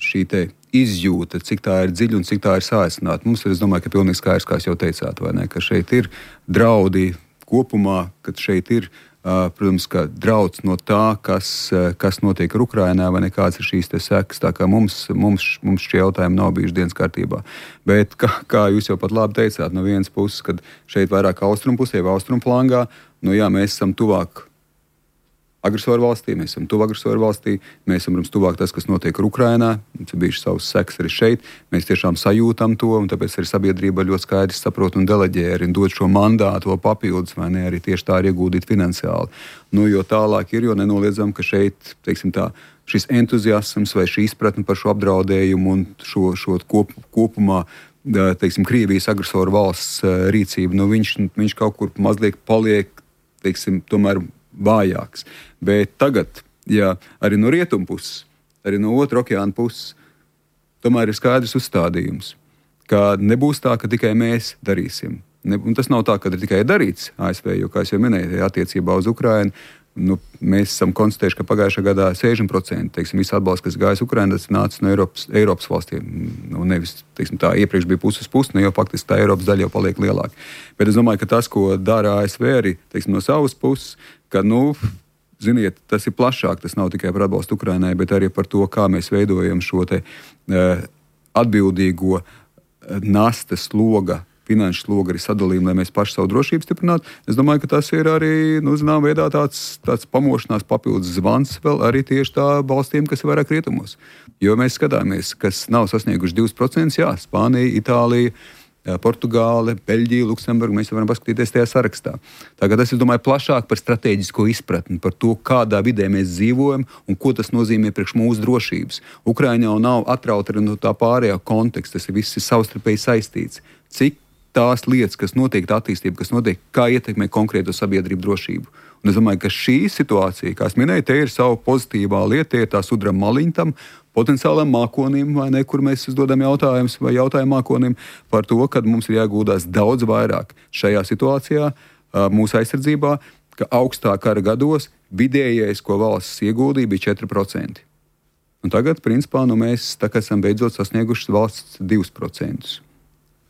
šī te izjūta, cik tā ir dziļa un cik tā ir sāsināta. Mums ir, es domāju, ka pilnīgi skaidrs, kā jūs jau teicāt, vai ne, ka šeit ir draudi kopumā, ka šeit ir Uh, protams, ka drauds no tā, kas, uh, kas notiek ar Ukrainā, vai nekāds ir šīs te sekas. Tā kā mums, mums, mums šie jautājumi nav bijuši dienas kārtībā. Bet, kā, kā jūs jau pat labi teicāt, no vienas puses, kad šeit vairāk austrumu pusē vai austrumu flangā, nu jā, mēs esam tuvāk agresoru valstī, mēs esam tuvu agresoru valstī, mēs esam, protams, tuvāk tas, kas notiek ar Ukrainā, mums ir bijuši savas sekas arī šeit, mēs tiešām sajūtam to, un tāpēc arī sabiedrība ļoti skaidri saprot un deleģē arī dot šo mandātu vēl papildus, vai ne, arī tieši tā ir ieguldīt finansiāli. Nu, jo tālāk ir, jo nenoliedzam, ka šeit, teiksim tā, šis entuziasms vai šī izpratne par šo apdraudējumu un šo, šo kop, kopumā, teiksim, Krievijas agresoru valsts rīcību, nu, viņš, viņš kaut kur mazliet paliek, teiksim, tomēr vājāks. Bet tagad, ja arī no rietumu puses, arī no otra okeāna puses, tomēr ir skaidrs uzstādījums, ka nebūs tā, ka tikai mēs darīsim. Ne, un tas nav tā, ka ir tikai darīts A S V, jo, kā es jau minēju, attiecībā uz Ukrainu, nu, mēs esam konstatējuši, ka pagājušā gadā sešdesmit procenti, teiksim, visu atbalstu, kas gājis Ukrainā, tas nāca no Eiropas, Eiropas valstīm. Nu, nevis, teiksim, tā iepriekš bija puses puses, nu, jo faktiski tā Eiropas daļa jau paliek lielāka. Bet es domāju, ka tas, ko dara A S V arī, teiksim, no savas puses, ka, nu, ziniet, tas ir plašāk, tas nav tikai par atbalstu Ukrainai, bet arī par to, kā mēs veidojam šo te uh, atbildīgo nastas sloga, finanšu slogu arī sadalījumu, lai mēs paši savu drošību stiprinātu. Es domāju, ka tas ir arī, nu, zinām, veidā tāds, tāds pamošanās papildus zvans vēl arī tieši tā valstīm, kas ir vairāk rietumos. Jo mēs skatāmies, kas nav sasnieguši divus procentus, jā, Spānija, Itālija, Portugāle, Beļģija, Luksemburga, mēs varam paskatīties tajā sarakstā. Tagad es domāju plašāk par strateģisko izpratni, par to, kādā vidē mēs dzīvojam un ko tas nozīmē priekš mūsu drošības. Ukraiņa jau nav atrauta no tā pārējā konteksta, tas ir viss ir savstarpēji saistīts. Cik tās lietas, kas notiek, tā attīstība, kas notiek, kā ietekmē konkrēto sabiedrību drošību. Un es domāju, ka šī situācija, kā es minēju, te ir savu pozitīvā lieta, tie ir tā sudra maliņa tam potenciālam mākonim, vai ne, kur mēs uzdodam jautājumus vai jautājumu mākonim par to, ka mums ir jāgūdās daudz vairāk šajā situācijā, mūsu aizsardzībā, ka augstā kara gados vidējais, ko valsts ieguldīja, bija četri procenti. Un tagad, principā, nu mēs tā kā esam beidzot sasnieguši valsts divus procentus.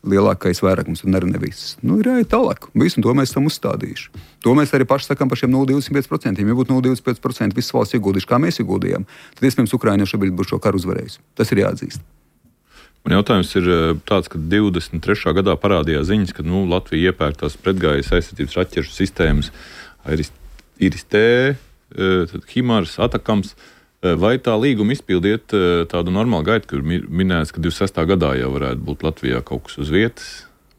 Lielākais vairākums un arī ne viss. Nu, ir jāiet tālāk. Visu to mēs esam uzstādījuši. To mēs arī paši sakām par šiem nulle komats divdesmit pieci procenti. Ja būtu nulle komats divdesmit pieci procenti visas valsts ieguldījuši, kā mēs ieguldījām, tad, iespējams, Ukraina šobrīd būtu šo karu uzvarējusi. Tas ir jāatzīst. Man jautājums ir tāds, ka divdesmit trešā gadā parādījās ziņas, ka nu, Latvija iepērk tās pretgājas aizsardzības raķešu sistēmas Iris-T, Himars, Atakams. Vai tā līguma izpildiet tādu normālu gaitu, kur minēts, ka divdesmit sestā gadā jau varētu būt Latvijā kaut kas uz vietas,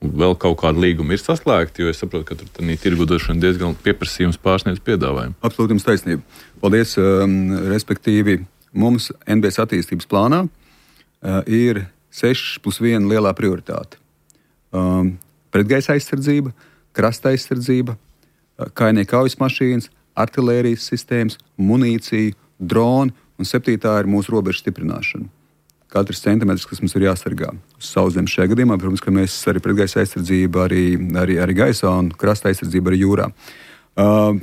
un vēl kaut kāda līguma ir saslēgta, jo es saprotu, ka tur tādā tirgodošana diezgan pieprasījums pārsniedz piedāvājumu. Absolūti jums taisnība. Paldies. Um, respektīvi, mums N B S attīstības plānā uh, ir seši plus viena lielā prioritāte. Um, pretgaisa aizsardzība, krasta aizsardzība, uh, kainieku kaujas mašīnas, artilērijas sistēmas, munīcija, droni, un septītā ir mūsu robežu stiprināšana. katrs centimetrs, kas mums ir jāsargā uz sauszemes šajā gadījumā. Protams, ka mēs arī pretgaisa aizsardzību, arī, arī, arī gaisā un krasta aizsardzību arī jūrā. Uh,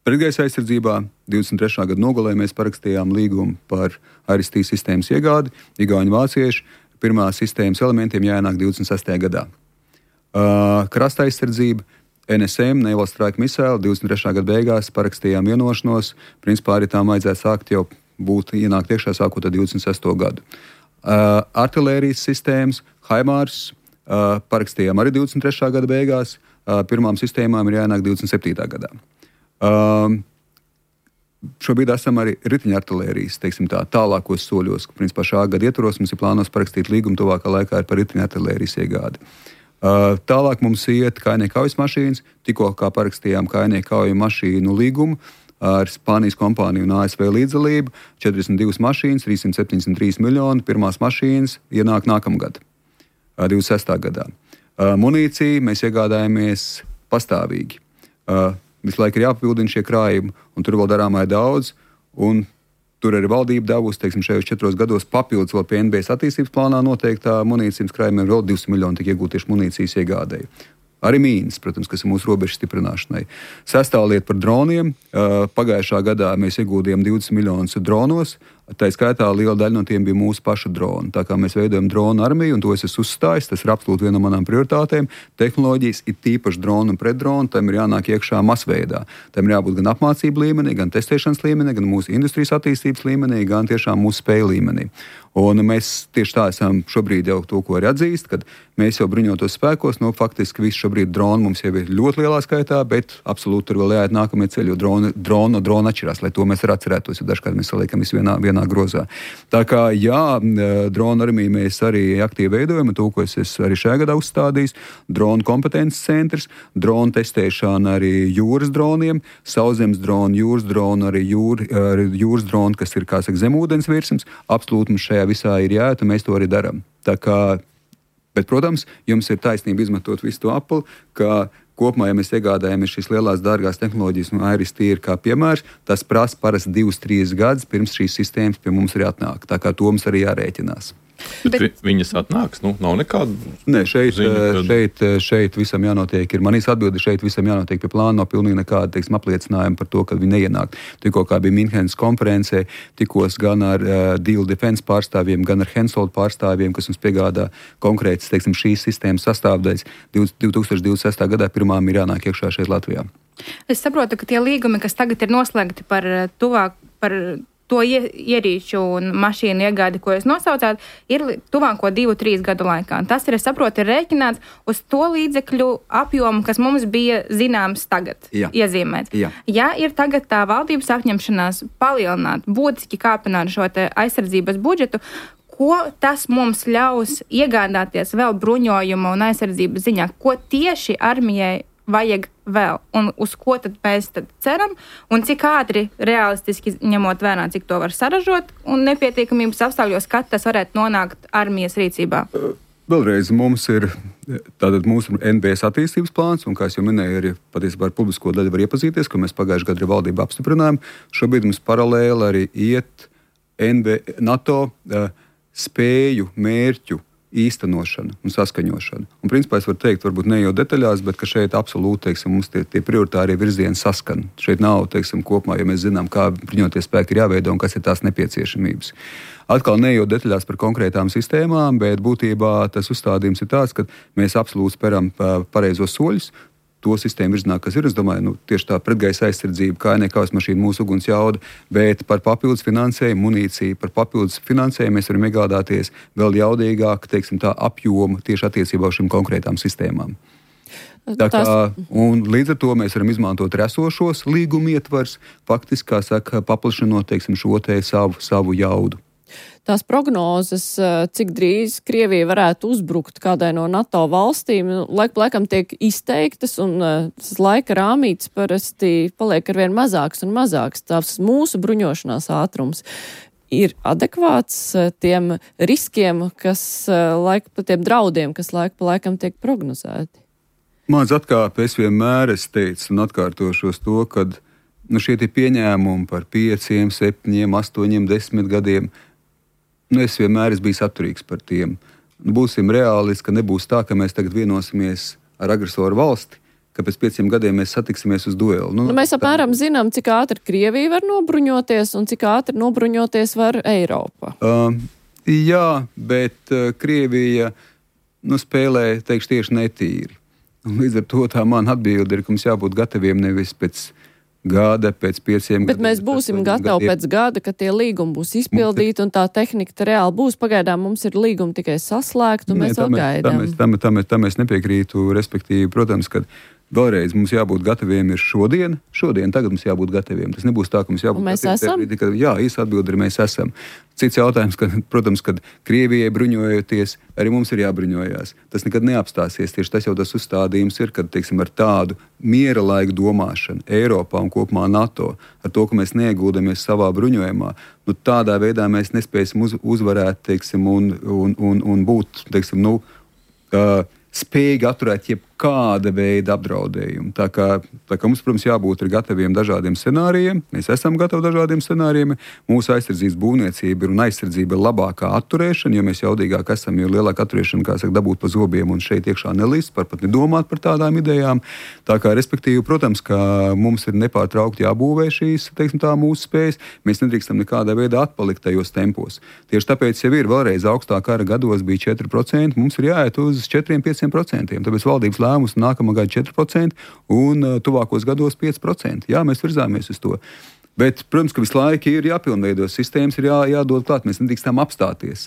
pretgaisa aizsardzībā divdesmit trešā gada nogalē mēs parakstījām līgumu par Iris-T sistēmas iegādi. Igauņu vācieši pirmās sistēmas elementiem jāienāk divdesmit sestajā gadā. Uh, krasta aizsardzība, N S M, Naval Strike Missile, divdesmit trešā gada beigās parakstījām vienošanos. Principā arī tām vajadzētu sākt jau būt ienākt iekšā sākot ar divdesmit sesto gadu. Uh, artilērijas sistēmas, HIMARS, uh, parakstījām arī divdesmit trešā gada beigās. Uh, pirmām sistēmām ir jāienāk divdesmit septītā gadā. Uh, šobrīd esam arī riteņa artilērijas, teiksim tā, tālākos soļos. Principā šā gada ietvaros mums ir plānos parakstīt līgumu tuvākā laikā par riteņa artilērijas iegādi. Uh, tālāk mums iet kājnieku kaujas mašīnas, tikko kā parakstījām kājnieku kauju mašīnu līgumu ar Spānijas kompāniju un A S V līdzdalību, četrdesmit divas mašīnas, trīssimt septiņdesmit trīs miljoni, pirmās mašīnas ienāk nākamgad, divdesmit sestā gadā. Munīciju mēs iegādājamies pastāvīgi. Visu laiku ir jāpapildina šie krājumi, un tur vēl darāmā ir daudz, un tur arī valdība devusi, teiksim, šajos četros gados papildus vēl pie N B S attīstības plānā noteiktā munīcijas krājumiem vēl divsimt miljoni tika iegūt tieši munīcijas iegādēji. Arī mīnas, protams, kas ir mūsu robežu stiprināšanai. Sestā lieta par droniem. Pagājušā gadā mēs iegūdījām divdesmit miljonus dronos. Tā skaitā liela daļa no tiem bija mūsu pašu droni. Tā kā mēs veidojam dronu armiju, un to es esmu uzstājis, tas ir absolūti viena no manām prioritātēm. Tehnoloģijas ir tīpaši dronu un pretdronu, tam ir jānāk iekšā masveidā. Tam ir jābūt gan apmācību līmenī, gan testēšanas līmenī, gan mūsu industrijas attīstības līmenī, gan tiešām mūsu spēju līmenī. Un mēs tieši tā esam šobrīd jau to, ko arī atzīst, kad mēs jau bruņotos spēkos, no faktiski visu šobrīd droni mums jau ir ļoti lielā skaitā, bet absolūti tur vēl jāiet nākamie ceļi, jo droni, droni no drona atšķirās, lai to mēs arī atcerētos, jo dažkārt mēs saliekam visu vienā, vienā grozā. Tā kā jā, drona armiju mēs arī aktīvi veidojam, un to, ko es esmu arī šajā gadā uzstādījis, drona kompetences centrs, drona testēšana arī jūras droniem, sauszemes droni, jūras droni, arī, jūr, arī jūras droni, kas ir, kā saka, zemūdens virsmas, absolūti mums šajā visā ir jāiet, un mēs to arī darām. Tā kā, bet, protams, jums ir taisnība izmantot visu to Apple, ka kopumā, ja mēs iegādājamies šīs lielās dārgās tehnoloģijas, un Iris-T ir kā piemērs, tas prasa parasti divus, trīs gadus, pirms šīs sistēmas pie mums arī atnāk. Tā kā to mums arī jārēķinās. Bet, bet viņas atnāks, nu, nav nekāda. Nē, šeit, ziņa, kad... šeit, šeit visam jānotiek, ir manīs atbildi, šeit visam jānotiek pie plāna, nav pilnīgi nekāda, teiksim, apliecinājuma par to, ka viņi neienāk. Tikko kā bija Minhenes konferencē, tikos gan ar uh, Deal Defense pārstāvjiem, gan ar Hensoldt pārstāvjiem, kas mums piegādā konkrētas, teiksim, šīs sistēmas sastāvdaļas. divi tūkstoši divdesmit sestā gadā pirmām ir jānāk iekšā šeit Latvijā. Es saprotu, ka tie līgumi, kas tagad ir noslēgti par tuvāk, par to ierīču un mašīnu iegādi, ko jūs nosaucāt, ir tuvāko divu, trīs gadu laikā. Tas ir, es saprotu, ir rēķināts uz to līdzekļu apjomu, kas mums bija zināms tagad, Jā. iezīmēts. Jā. Ja ir tagad tā valdības apņemšanās palielināt, būtiski kāpināt šo te aizsardzības budžetu, ko tas mums ļaus iegādāties vēl bruņojuma un aizsardzības ziņā? Ko tieši armijai vajag vēl, un uz ko tad mēs tad ceram, un cik ātri realistiski ņemot vērā, cik to var saražot, un nepietiekamības apstākļos, kad tas varētu nonākt armijas rīcībā? Vēlreiz mums ir tātad mūsu N B S attīstības plāns, un, kā es jau minēju, arī patiesībā ar publisko daļu var iepazīties, ko mēs pagājušajā gadā arī valdību apstiprinājām. Šobrīd mums paralēli arī iet N B, NATO uh, spēju, mērķu īstenošana un saskaņošana. Un, principā, es varu teikt, varbūt ne jau detaļās, bet ka šeit absolūti, teiksim, mums tie, tie prioritārie virzieni saskan. Šeit nav, teiksim, kopumā, ja mēs zinām, kā bruņotie spēki ir jāveido un kas ir tās nepieciešamības. Atkal ne jau detaļās par konkrētām sistēmām, bet būtībā tas uzstādījums ir tāds, ka mēs absolūti speram pareizos soļus, to sistēmu virzienā, kas ir, es domāju, nu, tieši tā pretgaisa aizsardzība, kājnieku kaujas mašīna, mūsu uguns jauda, bet par papildus finansējumu, munīciju, par papildus finansējumu mēs varam iegādāties vēl jaudīgāk, teiksim tā, apjomu tieši attiecībā uz šīm konkrētām sistēmām. Tā kā, un līdz ar to mēs varam izmantot esošos līguma ietvars, faktiski, kā saka, paplašinot, teiksim, šo te savu, savu jaudu. Tās prognozes, cik drīz Krievija varētu uzbrukt kādai no NATO valstīm, laik pa laikam tiek izteiktas, un tas laika rāmītis parasti paliek arvien mazāks un mazāks. Tās mūsu bruņošanās ātrums ir adekvāts tiem riskiem, kas laika pa tiem draudiem, kas laika pa laikam tiek prognozēti. Mans atkāpe, es vienmēr es teicu un atkārtošos to, kad nu, šie tie pieņēmumi par pieciem, septiņiem, astoņiem, desmit gadiem, nu, es vienmēr esmu bijis atturīgs par tiem. Nu, būsim reālisti, ka nebūs tā, ka mēs tagad vienosimies ar agresoru valsti, ka pēc pieciem gadiem mēs satiksimies uz duelu. Nu, nu, mēs apmēram zinām, cik ātri Krievija var nobruņoties un cik ātri nobruņoties var Eiropa. Uh, jā, bet uh, Krievija nu, spēlē, teikšu, tieši netīri. Un līdz ar to tā man atbilde ir, ka mums jābūt gataviem nevis pēc gada, pēc pieciem Bet gadiem. Bet mēs būsim gatavi gadiem. Pēc gada, kad tie līgumi būs izpildīti un tā tehnika reāli būs. Pagaidām mums ir līgumi tikai saslēgt un Nē, mēs vēl gaidām. Tam, tam, tam es nepiekrītu, respektīvi, protams, ka vēlreiz mums jābūt gataviem ir šodien, šodien, tagad mums jābūt gataviem. Tas nebūs tā, ka mums jābūt un mēs gataviem. Esam? Ka, jā, īsa atbilde ir mēs esam. Cits jautājums, ka, protams, kad Krievijai bruņojoties, arī mums ir jābruņojās. Tas nekad neapstāsies. Tieši tas jau tas uzstādījums ir, kad, teiksim, ar tādu miera laiku domāšanu Eiropā un kopumā NATO, ar to, ka mēs neieguldāmies savā bruņojumā, nu, tādā veidā mēs nespēsim uz, uzvarēt, teiksim, un, un, un, un būt, teiksim, nu, uh, spējīgi atturēt jebkāda veida apdraudējumu. Tā kā, tā kā mums, protams, jābūt gataviem dažādiem scenārijiem. Mēs esam gatavi dažādiem scenārijiem. Mūsu aizsardzības būvniecība ir un aizsardzība ir labākā atturēšana, jo mēs jaudīgāk esam, jo lielāka atturēšana, kā saka, dabūt pa zobiem un šeit iekšā nelīst, par pat nedomāt par tādām idejām. Tā kā, respektīvi, protams, ka mums ir nepārtraukti jābūvē šīs, teiksim tā, mūsu spējas. Mēs nedrīkstam nekādā veidā atpalikt tajos tempos. Tieši tāpēc jau ir vēlreiz augstā kara gados bija četri procenti, mums ir jāiet uz četri līdz pieci procenti. Tāpēc valdības lēmums nākamā gada četri procenti un uh, tuvākos gados pieci procenti. Jā, mēs virzāmies uz to. Bet, protams, ka visu laiku ir jāpilnveido sistēmas, ir jā, jādod klāt. Mēs nedrīkstam apstāties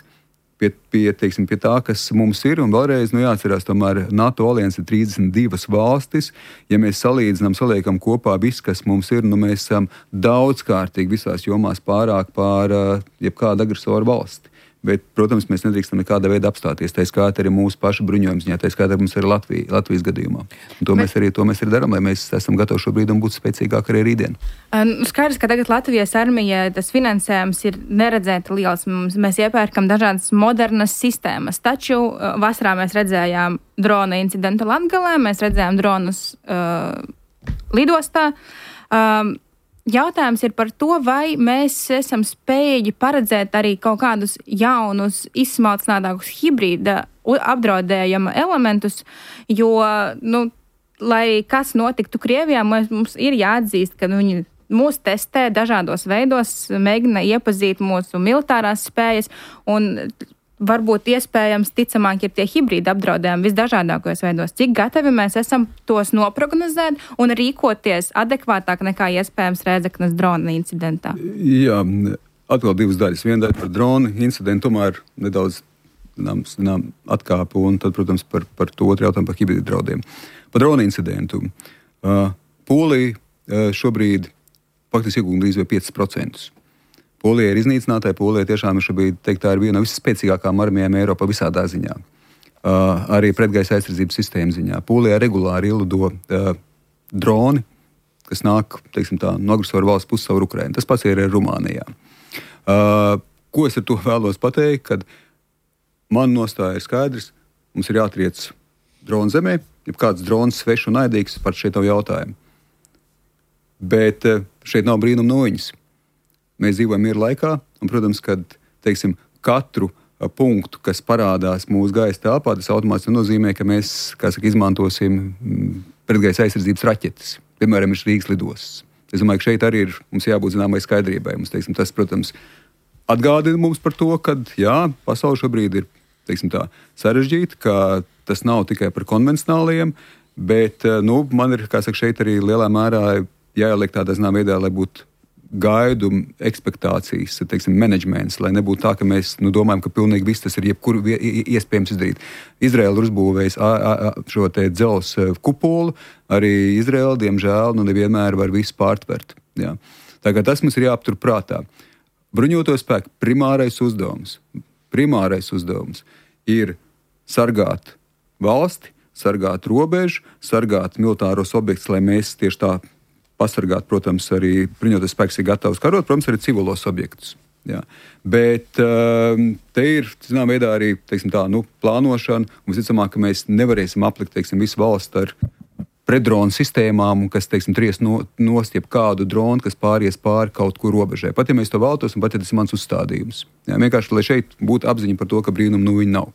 pie, pie, teiksim, pie tā, kas mums ir. Un vēlreiz nu, jāatcerās, tomēr NATO alianse ir trīsdesmit divas valstis. Ja mēs salīdzinām, saliekam kopā viss, kas mums ir, nu mēs esam daudzkārtīgi visās jomās pārāk pār uh, jebkādu agresoru valsti. Bet, protams, mēs nedrīkstam nekādā veidā apstāties. Tā skaitā arī mūsu pašu bruņojums, tā skaitā mums ir Latvija, Latvijas gadījumā. Un to, Bet... mēs arī, to mēs arī darām, lai mēs esam gatavi šobrīd un būtu spēcīgāki arī rītdien. Skaidrs, ka tagad Latvijas armija tas finansējums ir neredzēti liels. Mēs iepērkam dažādas modernas sistēmas, taču vasarā mēs redzējām drona incidentu Latgalē, mēs redzējām dronus uh, lidostā. Um, Jautājums ir par to, vai mēs esam spējīgi paredzēt arī kaut kādus jaunus, izsmalcinātākus hibrīda apdraudējuma elementus, jo, nu, lai kas notiktu Krievijā, mums ir jāatzīst, ka viņi mūs testē dažādos veidos, mēģina iepazīt mūsu militārās spējas un varbūt iespējams ticamāk ir tie hibrīda apdraudējumi visdažādākajos veidos. Cik gatavi mēs esam tos noprognozēt un rīkoties adekvātāk nekā iespējams Rēzeknes drona incidentā? Jā, atkal divas daļas. Viena daļa par drona incidentu, tomēr nedaudz zinām, zinām, atkāpu, un tad, protams, par, par to otru jautājumu par hibrīda draudiem. Par drona incidentu. Uh, Polija uh, šobrīd faktiski iegūda līdz piecus procentus. Polija ir iznīcinātāja. Polija tiešām ir šobrīd, teikt, tā ir viena no visspēcīgākām armijām Eiropā visādā ziņā. Uh, arī pretgaisa aizsardzības sistēmas ziņā. Polijā regulāri ielido uh, droni, kas nāk, teiksim tā, no agresoru valsts puses caur Ukrainu. Tas pats ir arī Rumānijā. Uh, ko es ar to vēlos pateikt? Kad man nostāja ir skaidrs, mums ir jātriec dronu zemē, ja kāds drons svešs un naidīgs, par šeit nav jautājumu. Bet uh, šeit nav brīnuma noiņas. Mēs dzīvojam miera laikā, un, protams, kad, teiksim, katru a, punktu, kas parādās mūsu gaisa telpā, tas automātiski nozīmē, ka mēs, kā saka, izmantosim m, pretgaisa aizsardzības raķetes. Piemēram, ir Rīgas lidostas. Es domāju, ka šeit arī ir, mums jābūt zināmai skaidrībai. Mums, teiksim, tas, protams, atgādina mums par to, ka, jā, pasaule šobrīd ir, teiksim tā, sarežģīta, ka tas nav tikai par konvencionālajiem, bet, nu, man ir, kā saka, šeit arī lielā mērā jāieliek tādā zinām veidā, lai būtu gaidu ekspektācijas, teiksim, menedžments, lai nebūtu tā, ka mēs nu, domājam, ka pilnīgi viss tas ir jebkur iespējams izdarīt. Izraela ir uzbūvējusi šo te dzelzs kupolu, arī Izraela, diemžēl, nu nevienmēr var visu pārtvert. Jā. Tā kā tas mums ir jāaptur prātā. Bruņoto spēku primārais uzdevums, primārais uzdevums ir sargāt valsti, sargāt robežu, sargāt militāros objektus, lai mēs tieši tā pasargāt, protams, arī bruņotais spēks ir gatavs karot, protams, arī civilos objektus. Jā. Bet uh, te ir, zinām, veidā arī, teiksim tā, nu, plānošana, un visticamāk, ka mēs nevarēsim aplikt, teiksim, visu valstu ar pretdronu sistēmām, kas, teiksim, tries no, nost jeb kādu dronu, kas pāries pāri kaut kur robežai. Pat ja mēs to vēltos, un pat ja tas ir mans uzstādījums. Jā, vienkārši, lai šeit būtu apziņa par to, ka brīnum nu viņi nav.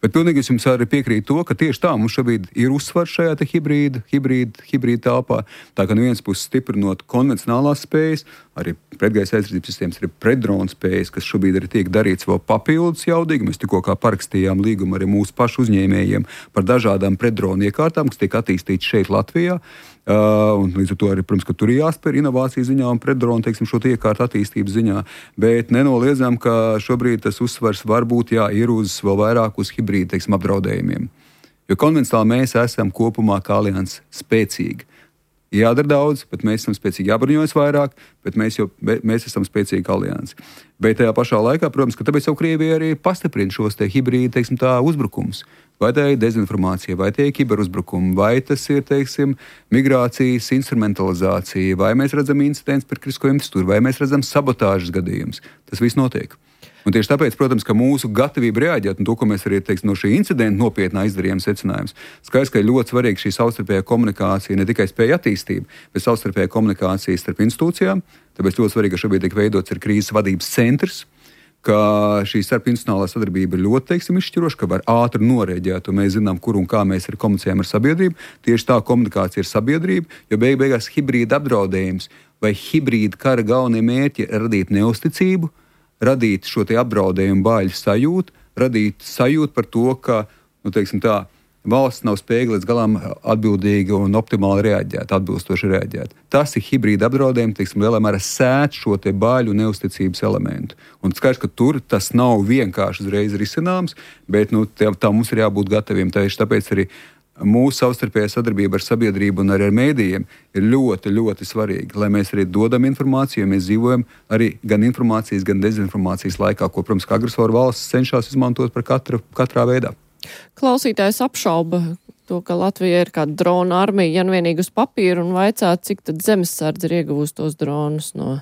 Bet pilnīgi es jums arī piekrītu to, ka tieši tā mums šobrīd ir uzsvars šajā te hibrīda, hibrīda, hibrīda telpā. Tā kā no vienas puses stiprinot konvencionālās spējas, arī pretgaisa aizsardzības sistēmas, arī pretdronu spējas, kas šobrīd arī tiek darīts vēl papildus jaudīgi. Mēs tikko kā parakstījām līgumu arī mūsu pašu uzņēmējiem par dažādām pretdronu iekārtām, kas tiek attīstītas šeit Latvijā. Uh, un līdz ar to arī, protams, ka tur ir jāspēr inovāciju ziņā un pretdronu, teiksim, šo iekārtu attīstības ziņā, bet nenoliedzam, ka šobrīd tas uzsvars varbūt, jā, ir uz vēl vairāk uz hibrīdu, teiksim, apdraudējumiem. Jo konvencionāli mēs esam kopumā kā alianses spēcīgi. Jādara daudz, bet mēs esam spēcīgi, jābruņojas vairāk, bet mēs, jau, mēs esam spēcīgi aliansi. Bet tajā pašā laikā, protams, ka tāpēc jau Krievija arī pastiprina šos te hibrīdu, teiksim, tā uzbrukums. Vai tā ir dezinformācija, vai tie ir kiberuzbrukumi, vai tas ir, teiksim, migrācijas instrumentalizācija, vai mēs redzam incidents par kritisko infrastruktūru, vai mēs redzam sabotāžas gadījumus. Tas viss notiek. Un tieši tāpēc, protams, ka mūsu gatavība reaģēt, un to, ko mēs arī, teiksim, no šī incidenta nopietnā izdarījām secinājums, skaidrs, ka ir ļoti svarīga šī savstarpējā komunikācija, ne tikai spēja attīstība, bet savstarpējā komunikācija starp institūcijām. Tāpēc ļoti svarīgi, ka šobrīd tiek veidots ir krīzes vadības centrs, ka šī starpinstitucionālā sadarbība ir ļoti, teiksim, izšķiroša, ka var ātri norēģēt, un mēs zinām, kur un kā mēs arī komunicējam ar sabiedrību. Tieši tā komunikācija ir sabiedrība, jo beig beigās hibrīda apdraudējums vai hibrīda kara galvenie mērķi ir radīt neusticību, radīt šo te apdraudējumu bāļu sajūtu, radīt sajūtu par to, ka, nu, teiksim tā, valsts nav spējīga līdz galam atbildīgi un optimāli reaģēt, atbilstoši reaģēt. Tas ir hibrīda apdraudējumi, teiksim, lielā mērā sēt šo te bāļu neusticības elementu. Un skaidrs, ka tur tas nav vienkārši uzreiz risināms, bet, nu, tā, tā mums ir jābūt gataviem. Tieši tāpēc arī mūsu savstarpējā sadarbība ar sabiedrību un arī ar mēdījiem ir ļoti, ļoti svarīga, lai mēs arī dodam informāciju, jo mēs dzīvojam arī gan informācijas, gan dezinformācijas laikā, ko, protams, agresoru valsts cenšas izmantot par katru, katrā veidā. Klausītājs apšauba to, ka Latvija ir kāda drona armija, ja nu vienīgi uz papīra, un vaicā, cik tad zemesardze ir iegūst tos dronus no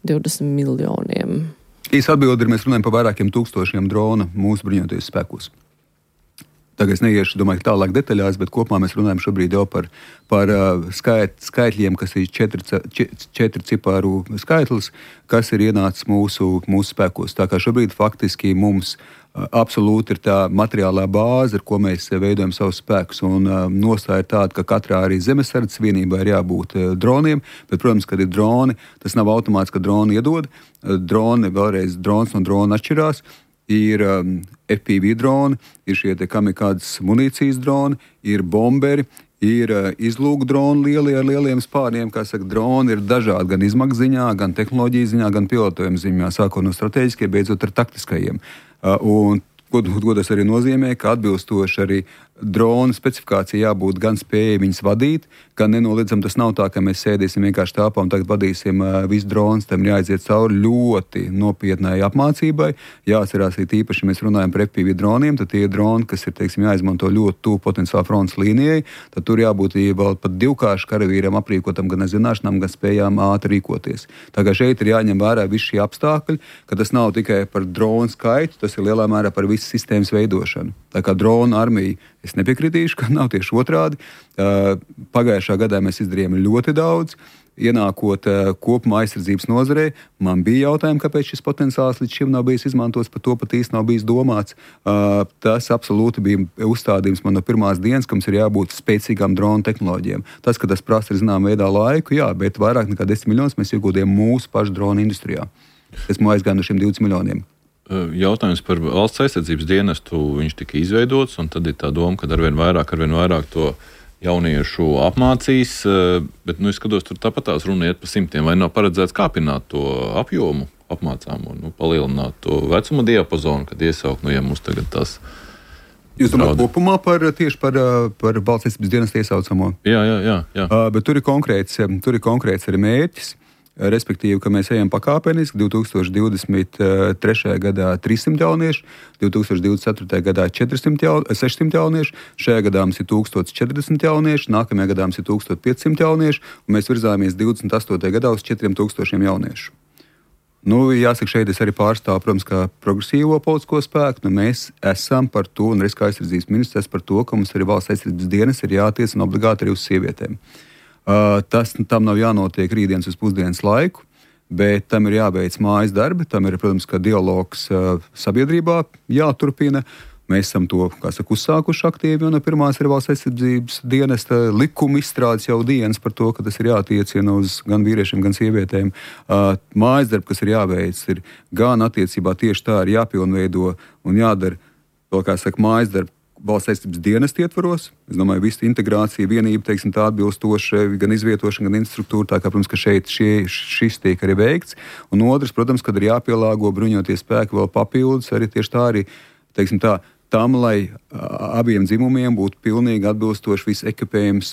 divdesmit miljoniem. Īsa atbilde ir, mēs runājam par vairākiem tūkstošiem drona mūsu bruņotajos spēkos. Tagad es neiešu, domāju, tālāk detaļās, bet kopumā mēs runājam šobrīd jau par, par uh, skait, skaitļiem, kas ir četri, četri ciparu skaitlis, kas ir ienācis mūsu, mūsu spēkos. Tā kā šobrīd faktiski mums uh, absolūti ir tā materiālā bāze, ar ko mēs veidojam savus spēkus. Un uh, nostāja ir tāda, ka katrā arī zemesardzes vienībā ir jābūt uh, droniem, bet, protams, kad ir droni, tas nav automāts, ka droni iedod. Uh, droni, vēlreiz, drons no drona atšķirās. Ir um, F P V droni, ir šie te kamikādas munīcijas droni, ir bomberi, ir uh, izlūku droni lielie ar lieliem spārniem. Kā saka, droni ir dažādi gan izmaksu ziņā, gan tehnoloģiju ziņā, gan pilotojuma ziņā, sākot no strateģiskiem, beidzot ar taktiskajiem. Uh, un ko, ko tas arī nozīmē, ka atbilstoši arī drona specifikācija jābūt gan spējai viņas vadīt, gan nenoliedzam tas nav tā, ka mēs sēdīsim vienkārši telpā un tagad vadīsim uh, visu dronas, tam jāaiziet cauri ļoti nopietnai apmācībai. Jāatcerās, ka īpaši mēs runājam par F P V droniem, tad tie droni, kas ir, teiksim, jāizmanto ļoti tuvu potenciāli frontes līnijai, tad tur jābūt vēl pat divkāršu karavīram aprīkotam gan ar zināšanām, gan spējām ātri rīkoties. Tā kā šeit ir jāņem vērā visi šie apstākļi, ka tas nav tikai par dronu skaitu, tas ir lielā mērā par visu sistēmas veidošanu. Tā kā drona armija, es nepiekritīšu, ka nav tieši otrādi. Uh, pagājušā gadā mēs izdarījām ļoti daudz. Ienākot uh, kopumā aizsardzības nozarē, man bija jautājumi, kāpēc šis potenciāls līdz šim nav bijis izmantots, par to pat īsti nav bijis domāts. Uh, tas absolūti bija uzstādījums man no pirmās dienas, ka mums ir jābūt spēcīgām drona tehnoloģijām. Tas, ka tas prasa zinām veidā laiku, jā, bet vairāk nekā desmit miljonus mēs iegūdījām mūsu pašu drona industrijā. Esmu aizgāju no šiem divdesmit miljoniem. Jautājums par valsts aizsardzības dienestu, viņš tika izveidots, un tad ir tā doma, ka arvien vairāk, arvien vairāk to jauniešu apmācīs, bet, nu, es skatos, tur tāpat tās runa iet pa simtiem, vai nav paredzēts kāpināt to apjomu apmācām un nu, palielināt to vecuma diapazonu, kad iesaukt, nu, ja mums tagad tās... Jūs domājat kopumā par, tieši par, par valsts aizsardzības dienestu iesaucamo? Jā, jā, jā. jā. Uh, bet tur ir konkrēts, tur ir konkrēts arī mērķis. Respektīvi, ka mēs ejam pakāpeniski, divi tūkstoši divdesmit trešajā gadā trīssimt jauniešu, divi tūkstoši divdesmit ceturtajā gadā četrsimt jaun, sešsimt jauniešu, šajā gadā mums ir tūkstoš četrdesmit jauniešu, nākamajā gadā mums ir tūkstoš piecsimt jauniešu, un mēs virzāmies divdesmit astotajā gadā uz četriem tūkstošiem jauniešu. Nu, jāsaka, šeit es arī pārstāvu, protams, kā progresīvo politisko spēku. Nu, mēs esam par to, un Riska aizsardzības ministrs par to, ka mums arī valsts aizsardzības dienas ir jātiecina obligāti arī uz sievietēm. Uh, tas tam nav jānotiek rītdienas uz pusdienas laiku, bet tam ir jāveic mājas darbi, tam ir, protams, ka dialogs uh, sabiedrībā jāturpina. Mēs esam to, kā saka, uzsākuši aktīvi, un no pirmās ir valsts aizsardzības dienesta likuma izstrādes jau dienas par to, ka tas ir jātiecina uz gan vīriešiem, gan sievietēm. Uh, mājas darbi, kas ir jāveic, ir gan attiecībā tieši tā ir jāpilnveido un jādara, vēl kā saka, mājas darbi valsts aizsardzības dienesta ietvaros. Es domāju, visa integrācija, vienība, teiksim, tā atbilstoša, gan izvietošana, gan infrastruktūra, tā kā, protams, ka šeit šie, šis tiek arī veikts. Un otrs, protams, kad ir jāpielāgo bruņoties spēki vēl papildus, arī tieši tā arī, teiksim tā, tam, lai abiem dzimumiem būtu pilnīgi atbilstoši viss ekipējums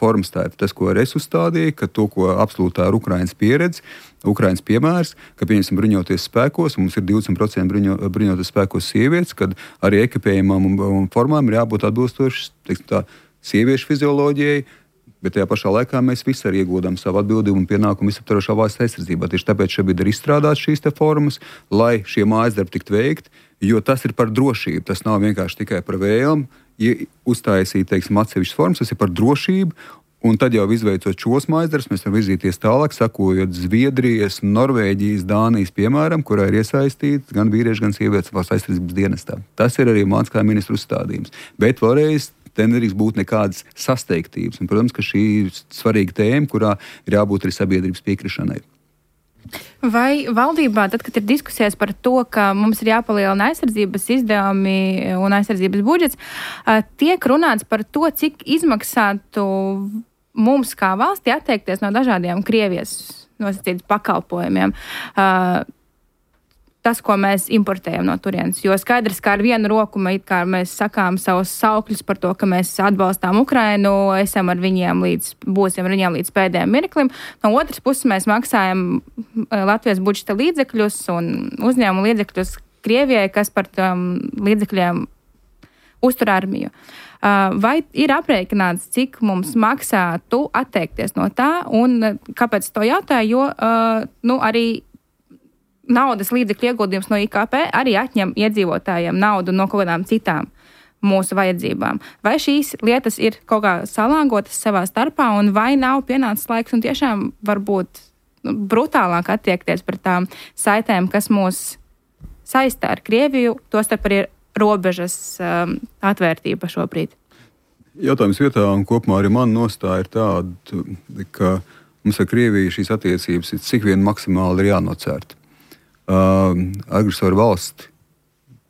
formas. Tā ir tas, ko es uzstādīju, ka to, ko absolūtā ir Ukrainas pieredze, Ukrainas piemērs, ka pieņemsim bruņoties spēkos, mums ir divdesmit procenti bruņo, bruņoties spēkos sievietes, kad arī ekipējumam un, un formām ir jābūt atbilstoši, teiksim tā, sieviešu fizioloģijai, bet tajā pašā laikā mēs visi arī iegūdam savu atbildību un pienākumu visaptvarošā valsts aizsardzībā. Tieši tāpēc šobrīd ir izstrādāts šīs te formas, lai šie mājas darbi tiktu veikti, jo tas ir par drošību. Tas nav vienkārši tikai par vēlmu, ja uztaisīt, teiksim, atsevišķas formas, tas ir par drošību. Un tad jau izveicot šos mājas darbus, mēs varam virzīties tālāk, sakojot Zviedrijas, Norvēģijas, Dānijas piemēram, kurā ir iesaistīts gan vīrieši, gan sievietes valsts aizsardzības dienestā. Tas ir arī mans kā ministru uzstādījums. Bet vēlreiz, te nedrīkst būt nekādas sasteigtības. Un, protams, ka šī ir svarīga tēma, kurā ir jābūt arī sabiedrības piekrišanai. Vai valdībā, tad, kad ir diskusijas par to, ka mums ir jāpalielina aizsardzības izdevumi un aizsardzības budžets, tiek runāts par to, cik izmaksātu mums kā valstī atteikties no dažādiem Krievijas nosacītas pakalpojumiem? Tas, ko mēs importējam no turienes. Jo skaidrs, ka ar vienu roku mēs sakām savus saukļus par to, ka mēs atbalstām Ukrainu, esam ar viņiem līdz, būsim ar viņiem līdz pēdējiem mirklim. No otras puses mēs maksājam Latvijas budžeta līdzekļus un uzņēmumu līdzekļus Krievijai, kas par tām līdzekļiem uztur armiju. Vai ir aprēķināts, cik mums maksātu atteikties no tā, un kāpēc to jautāju, jo nu, arī naudas līdzekļu ieguldījums no I K P arī atņem iedzīvotājiem naudu no kaut kādām citām mūsu vajadzībām. Vai šīs lietas ir kaut kā salāgotas savā starpā, un vai nav pienācis laiks un tiešām varbūt nu, brutālāk attiekties par tām saitēm, kas mūs saista ar Krieviju, tostarp arī robežas um, atvērtība šobrīd? Jautājums vietā, un kopumā arī man nostāja ir tāda, ka mums ar Krieviju šīs attiecības ir cik vien maksimāli ir jānocērta. Uh, agresoru valsti,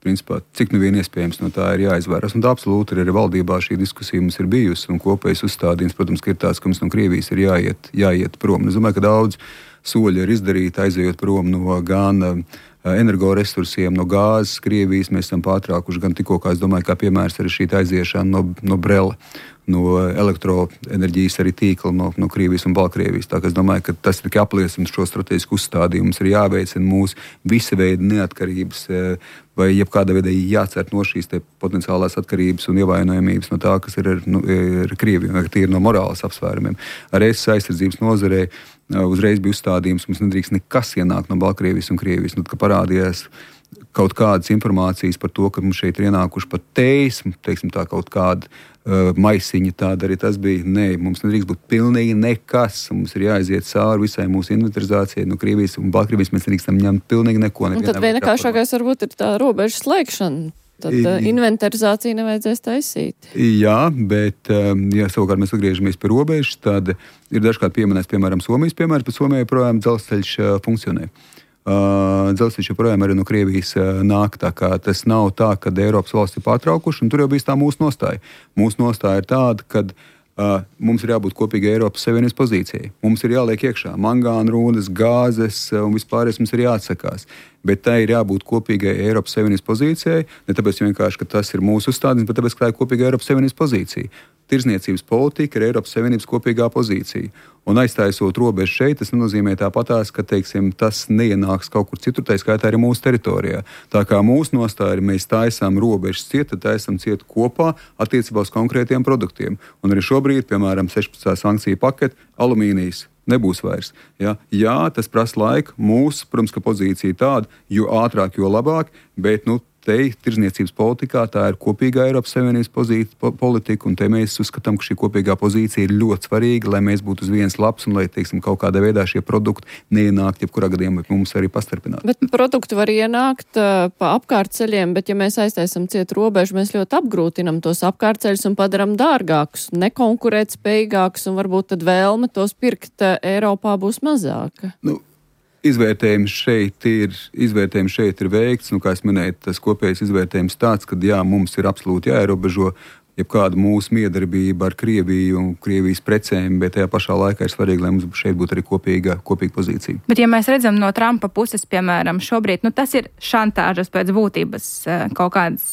principā, cik nu vien iespējams no tā ir jāizvērās. Un tā absolūti arī valdībā šī diskusija mums ir bijusi, un kopējais uzstādījums, protams, ka ir tāds, ka mums no Krievijas ir jāiet, jāiet prom. Es domāju, ka daudz soļi ir izdarīti, aizejot prom no gan uh, energoresursiem, no gāzes Krievijas. Mēs esam pārtraukuši gan tikko, kā es domāju, kā piemērs arī šī aiziešana no, no Brela, no elektroenerģijas arī tīkla no, no Krievijas un Baltkrievijas. Tā, es domāju, ka tas tikai apliecina šo strateģisku uzstādījumu. Mums ir jāveicina mūsu visa veida neatkarības vai jebkāda veida jācer no šīs potenciālās atkarības un ievainojamības no tā, kas ir ar, nu, ar Krieviju, vai tīri no morālas apsvērumiem. Ar es aizsardzības nozarē uzreiz bija uzstādījums, mums nedrīkst nekas ienākt no Baltkrievijas un Krievijas. Nu, ka parādījās kaut kādas informācijas par to, ka mums šeit ir ienākuši pat teismi, teiksim tā, kaut kāda uh, maisiņa, tāda arī tas bija. Nē, mums nedrīkst būt pilnīgi nekas. Mums ir jāaiziet cauri visai mūsu inventarizācijai no Krievijas un Baltkrievijas. Mēs nedrīkstam ņemt pilnīgi neko. Un tad vienkāršākais varbūt ir tā robežu slēgšana. Tad uh, inventarizāciju nevajadzēs taisīt. Jā, bet, um, ja savukārt mēs atgriežamies pie robežas, tad ir dažkārt pieminēts, piemēram, Somijas piemērs, bet Somijai projām dzelzceļš uh, funkcionē. Uh, dzelzceļš joprojām arī no Krievijas uh, nāk, tā kā tas nav tā, ka Eiropas valsts ir pārtraukuši, un tur jau bijis tā mūsu nostāja. Mūsu nostāja ir tāda, ka uh, mums ir jābūt kopīgai Eiropas Savienības pozīcijai. Mums ir jāliek iekšā mangāna rūdas, gāzes uh, un vispārējais mums ir jāatsakās. Bet tai ir jābūt kopīgai Eiropas Savienības pozīcijai, ne tāpēc vienkārši, ka tas ir mūsu uzstādījums, bet tāpēc, ka tā ir kopīga Eiropas Savienības pozīcija. tirzniecības politika ir Eiropas Savienības kopīgā pozīcija. Un aiztaisot robežu šeit, tas nenozīmē tāpatās, ka teiksim, tas neienāks kaut kur citur, tā skaitā arī mūsu teritorijā. Tā kā mūsu nostāja ir, mēs taisām robežas ciet, tad taisam ciet kopā attiecībā uz konkrētiem produktiem. Un arī šobrīd, piemēram, sešpadsmitā sankciju pakete, alumīnijas nebūs vairs. Ja? Jā, tas prasa laiku. Mūsu, protams, ka pozīcija tāda, jo ātrāk, jo labāk, bet, nu, te tirzniecības politikā tā ir kopīgā Eiropas Savienības pozīcija, po, politika, un te mēs uzskatām, ka šī kopīgā pozīcija ir ļoti svarīga, lai mēs būtu uz vienas lapas un lai, teiksim, kaut kādā veidā šie produkti neienākt, jebkurā gadījumā mums arī pastarpināt. Bet produkti var ienākt uh, pa apkārtceļiem, bet ja mēs aiztaisam ciet robežu, mēs ļoti apgrūtinam tos apkārtceļus un padaram dārgākus, nekonkurēt spējīgākus, un varbūt tad vēlme tos pirkt uh, Eiropā būs mazāka. Nu, Izvērtējums šeit ir, izvērtējums šeit ir veikts, nu, kā es minēju, tas kopējais izvērtējums tāds, ka jā, mums ir absolūti jāierobežo jebkāda mūsu miedarbība ar Krieviju un Krievijas precēm, bet tajā pašā laikā ir svarīgi, lai mums šeit būtu arī kopīga, kopīga pozīcija. Bet ja mēs redzam no Trumpa puses, piemēram, šobrīd, nu, tas ir šantāžas pēc būtības kaut kāds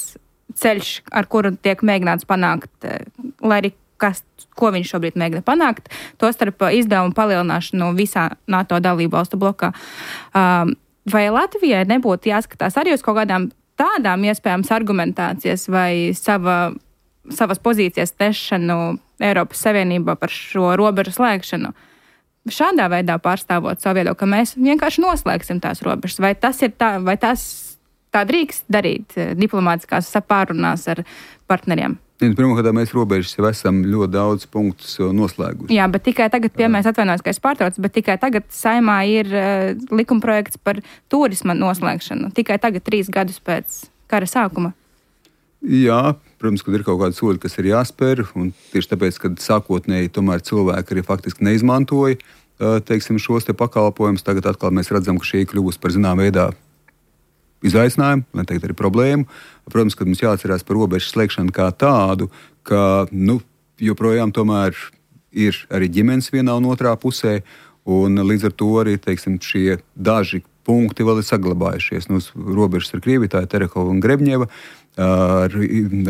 ceļš, ar kuru tiek mēģināts panākt, lai arī kas, ko viņš šobrīd mēģina panākt, to starp izdevumu palielināšanu visā NATO dalību valstu blokā. Um, vai Latvijai nebūtu jāskatās arī uz kaut kādām tādām iespējams argumentācijas vai sava, savas pozīcijas nešanu Eiropas Savienībā par šo robežu slēgšanu? Šādā veidā pārstāvot savu viedokli, ka mēs vienkārši noslēgsim tās robežas. Vai tas ir tā, vai tas tā drīkst darīt diplomātiskās sapārunās ar partneriem? Pirmkārt, mēs robežas jau esam ļoti daudz punktus noslēguši. Jā, bet tikai tagad, piemēram, atvainojos, ka es pārtraucu, bet tikai tagad Saeimā ir uh, likumprojekts par turisma noslēgšanu. Tikai tagad, trīs gadus pēc kara sākuma. Jā, protams, kad ir kaut kādi soļi, kas ir jāspēr, un tieši tāpēc, kad sākotnēji tomēr cilvēki arī faktiski neizmantoja, uh, teiksim, šos te pakalpojumus, tagad atkal mēs redzam, ka šī kļūst par zinām veidā izaicinājumu, lai teikt arī problēmu. Protams, kad mums jāatcerās par robežu slēgšanu kā tādu, ka, nu, joprojām tomēr ir arī ģimenes vienā un otrā pusē, un līdz ar to arī, teiksim, šie daži punkti vēl ir saglabājušies. Nu, robežas ar Krieviju, tā ir Terehova un Grebņeva, ar,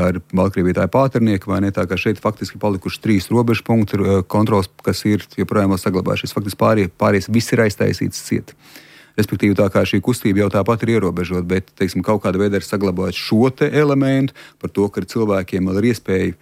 ar Baltkrieviju tā ir Pāternieka, vai ne, tā kā šeit faktiski palikuši trīs robežu punkti kontrols, kas ir joprojām vēl saglabājušies. Faktiski pārējie, pārējais viss ir aiztaisīts ciet. Respektīvi, tā kā šī kustība jau tāpat ir ierobežota, bet, teiksim, kaut kādā veidā ir saglabājot šo te elementu par to, ka cilvēkiem vēl ir iespēja,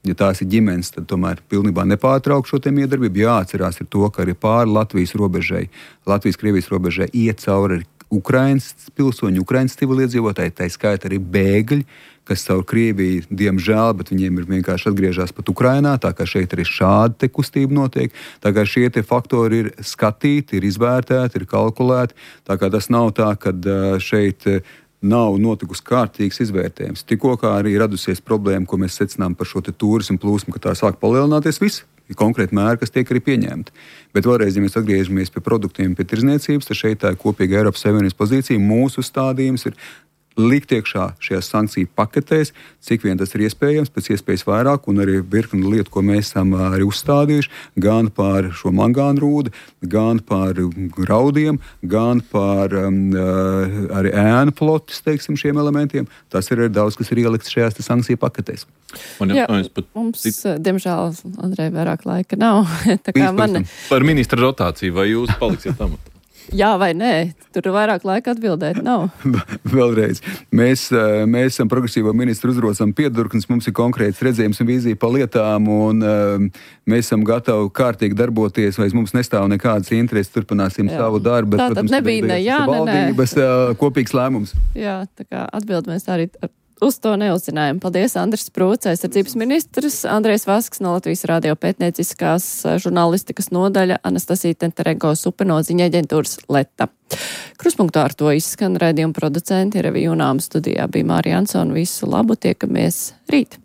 ja tās ir ģimenes, tad tomēr pilnībā nepārtraukt šo te miedarbību. Jāatcerās ir to, ka arī pāri Latvijas robežai, Latvijas-Krievijas robežai iet cauri Ukrainas pilsoņi, Ukrainas civiliedzīvotāji, tā skaita arī bēgļi, kas caur Krieviju, diemžēl, bet viņiem ir vienkārši atgriežās pat Ukrainā, tā kā šeit arī šāda te kustība notiek. Tā kā šie te faktori ir skatīti, ir izvērtēti, ir kalkulēti, tā kā tas nav tā, ka šeit nav notikusi kārtīgs izvērtējums. Tikko kā arī radusies problēma, ko mēs secinām par šo te turismu plūsmu, ka tā sāk palielināties viss. Ir konkrēti mēri, kas tiek arī pieņemti. Bet vēlreiz, ja mēs atgriežamies pie produktiem, pie tirzniecības, tad šeit tā ir kopīga Eiropas Savienības pozīcija. Mūsu stādījums ir likt iekšā šajās sankciju paketēs, cik vien tas ir iespējams, pēc iespējas vairāk, un arī virkni lietu, ko mēs esam arī uzstādījuši, gan par šo mangānu rūdu, gan par graudiem, gan par um, arī ēnu plotis, teiksim, šiem elementiem. Tas ir arī daudz, kas ir ielikts šajās sankciju paketēs. Man Jā, mums, diemžēl, Andrej, vairāk laika nav. Tā kā man... Par ministra rotāciju, vai jūs paliksiet amatā? Jā vai nē, tur vairāk laika atbildēt nav. Vēlreiz, mēs, mēs esam progresīvo ministru uzrocam piedurknis, mums ir konkrēts redzējums un vīzija pa lietām, un mēs esam gatavi kārtīgi darboties, vai mums nestāv nekādas intereses, turpināsim jā. Savu darbu. Bet, tā tad nebija ne jā, ne nē. Valdības kopīgs lēmums. Jā, tā kā atbild mēs arī uz to neuzzinājām. Paldies, Andris Sprūts, aizsardzības ministrs, Andrejs Vasks no Latvijas radio pētnieciskās žurnālistikas nodaļa, Anastasija Tenterenko Supenoziņa aģentūras Leta. Kruspunktā ar to izskan raidījuma producenti Revija Junām studijā bija Mārija Ansona. Visu labu, tiekamies rīt!